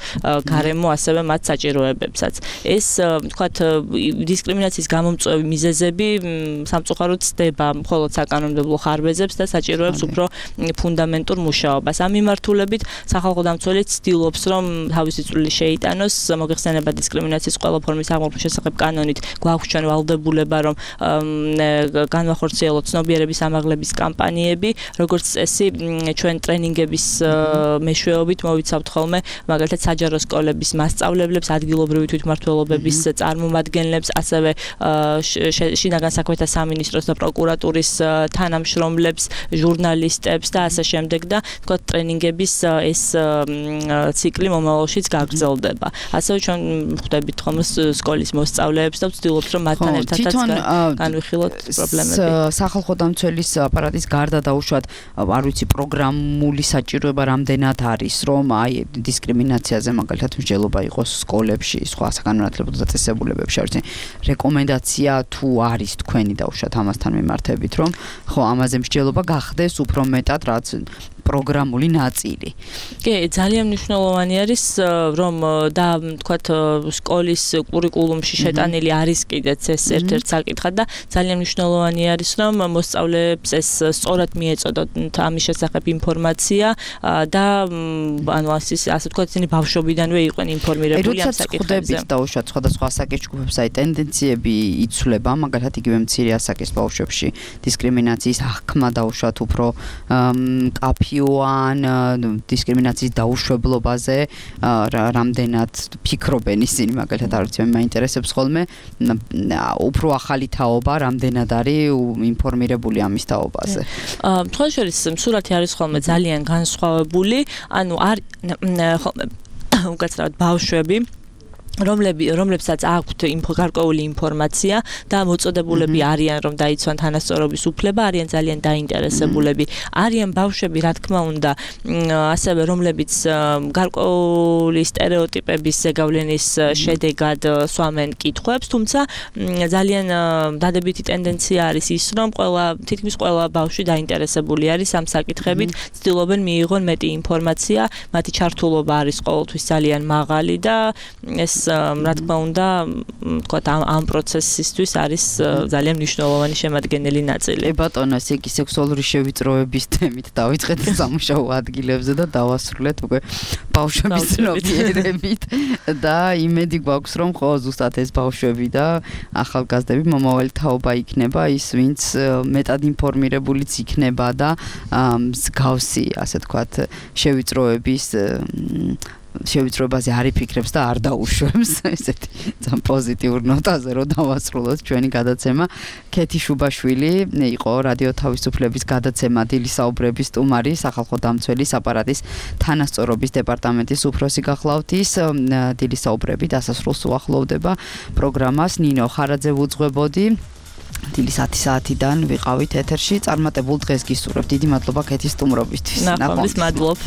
გარემო ასევე მათ საჭიროებებსაც. ეს ვთქვათ დისკრიმინაციის გამომწვევი მიზეზები სამწუხაროდ ცდება მხოლოდ საკანონმდებლო ხარვეზებს და საჭიროებს უფრო ფუნდამენტურ მუშაობას. ამ მიმართულებით სახალხო დამცველი ცდილობს რომ თავისი წვლილი შეიტანოს მოგეხსენება დისკრიმინაციის ყველა ფორმის აღმოფხვის შესახებ კანონით გვაქვს ჩვენ ვალდებულება რომ განვახორციელოთ ცნობიერების ამაღლების კამპანიები, როგორც წესი ჩვენ ტრენინგების მეშვეობით დღეობით მოვიცავთ ხოლმე მაგალითად საჯარო სკოლების მასწავლებლებს, ადგილობრივი თვითმმართველობების წარმომადგენლებს, ასევე შინაგან საქმეთა სამინისტროს და პროკურატურის თანამშრომლებს, ჟურნალისტებს და ასე შემდეგ და თქვა ტრენინგების ეს ციკლი მომავალშიც გაგრძელდება. ასევე ჩვენ ხვდებით ხოლმე სკოლის მოსწავლეებს და ვცდილობთ რომ მათთან ერთადაც განვიხილოთ პრობლემები. სახალხო დამცველის აპარატის გარდა დაუშვათ არ ვიცი პროგრამული საჭიროება რამდენად არის რომ აი დისკრიმინაციაზე მაგალითად მსჯელობა იყოს სკოლებში, სხვა საგანმანათლებლო დაწესებულებებში, არ ვიცი რეკომენდაცია თუ არის თქვენი დაუშვათ ამასთან მიმართებით რომ ხო ამაზე მსჯელობა გახდეს უფრო მეტად რაც პროგრამული ნაწილი. კი, ძალიან მნიშვნელოვანი არის რომ და თქვათ სკოლის კურიკულუმში შეტანილი არის კიდეც ეს ერთ-ერთი საკითხი და ძალიან მნიშვნელოვანი არის რომ მოსწავლეებს ეს სწორად მიეწოდოთ ამის შესახებ ინფორმაცია და ანუ ასე თქვათ ისინი ბავშვობიდანვე იყვნენ ინფორმირებული ამ საკითხებზე. როდესაც დაუშვათ სხვადასხვა ასაკის ჯგუფებს აი ტენდენციები იცვლება, მაგალითად იგივე მცირე ასაკის ბავშვებში დისკრიმინაციის აღქმა დაუშვათ უფრო კაფი ან დისკრიმინაციის დაუშვებლობაზე რამდენად ფიქრობენ ისინი მაგალითად არ ვიცი მე მაინტერესებს ხოლმე უფრო ახალი თაობა რამდენად არის ინფორმირებული ამის თაობაზე. თქვენ შორის სურათი არის ხოლმე ძალიან განსხვავებული, ანუ არ ხოლმე უკაცრავად ბავშვები რომლები რომლებსაც აქვთ გარკვეული ინფორმაცია და მოწოდებულები არიან რომ დაიცვან თანასწორობის უფლება, არიან ძალიან დაინტერესებულები. არიან ბავშვები, რა თქმა უნდა, ასევე რომლებიც გარკვეული სტერეოტიპების ზეგავლენის შედეგად სვამენ კითხვებს, თუმცა ძალიან დადებითი ტენდენცია არის ის, რომ ყველა თითქმის ყველა ბავშვი დაინტერესებული არის ამ საკითხებით, ცდილობენ მიიღონ მეტი ინფორმაცია, მათი ჩართულობა არის ყოველთვის ძალიან მაღალი და ეს რა თქმა უნდა, თქვათ ამ ამ პროცესისთვის არის ძალიან მნიშვნელოვანი შემადგენელი ნაწილი. ე ბატონო, ესე იგი სექსუალური შევიწროების თემით დავიწყეთ სამუშაო ადგილებზე და დავასრულეთ უკვე ბავშვების ცნობიერებით და იმედი გვაქვს რომ ხო ზუსტად ეს ბავშვები და ახალგაზრდები მომავალი თაობა იქნება ის ვინც მეტად ინფორმირებულიც იქნება და მსგავსი ასე თქვათ შევიწროების შევიწროებაზე არ იფიქრებს და არ დაუშვებს ესეთი ძალიან პოზიტიურ ნოტაზე რომ დავასრულოთ ჩვენი გადაცემა. ქეთი შუბაშვილი იყო რადიო თავისუფლების გადაცემა დილის საუბრების სტუმარი, სახალხო დამცველის აპარატის თანასწორობის დეპარტამენტის უფროსი გახლავთ ის დილის საუბრები დასასრულს უახლოვდება პროგრამას ნინო ხარაძე ვუძღვებოდი. დილის ათი საათიდან ვიყავით ეთერში წარმატებულ დღეს გისურვებთ. დიდი მადლობა ქეთის სტუმრობისთვის. ნახვამდის მადლობ.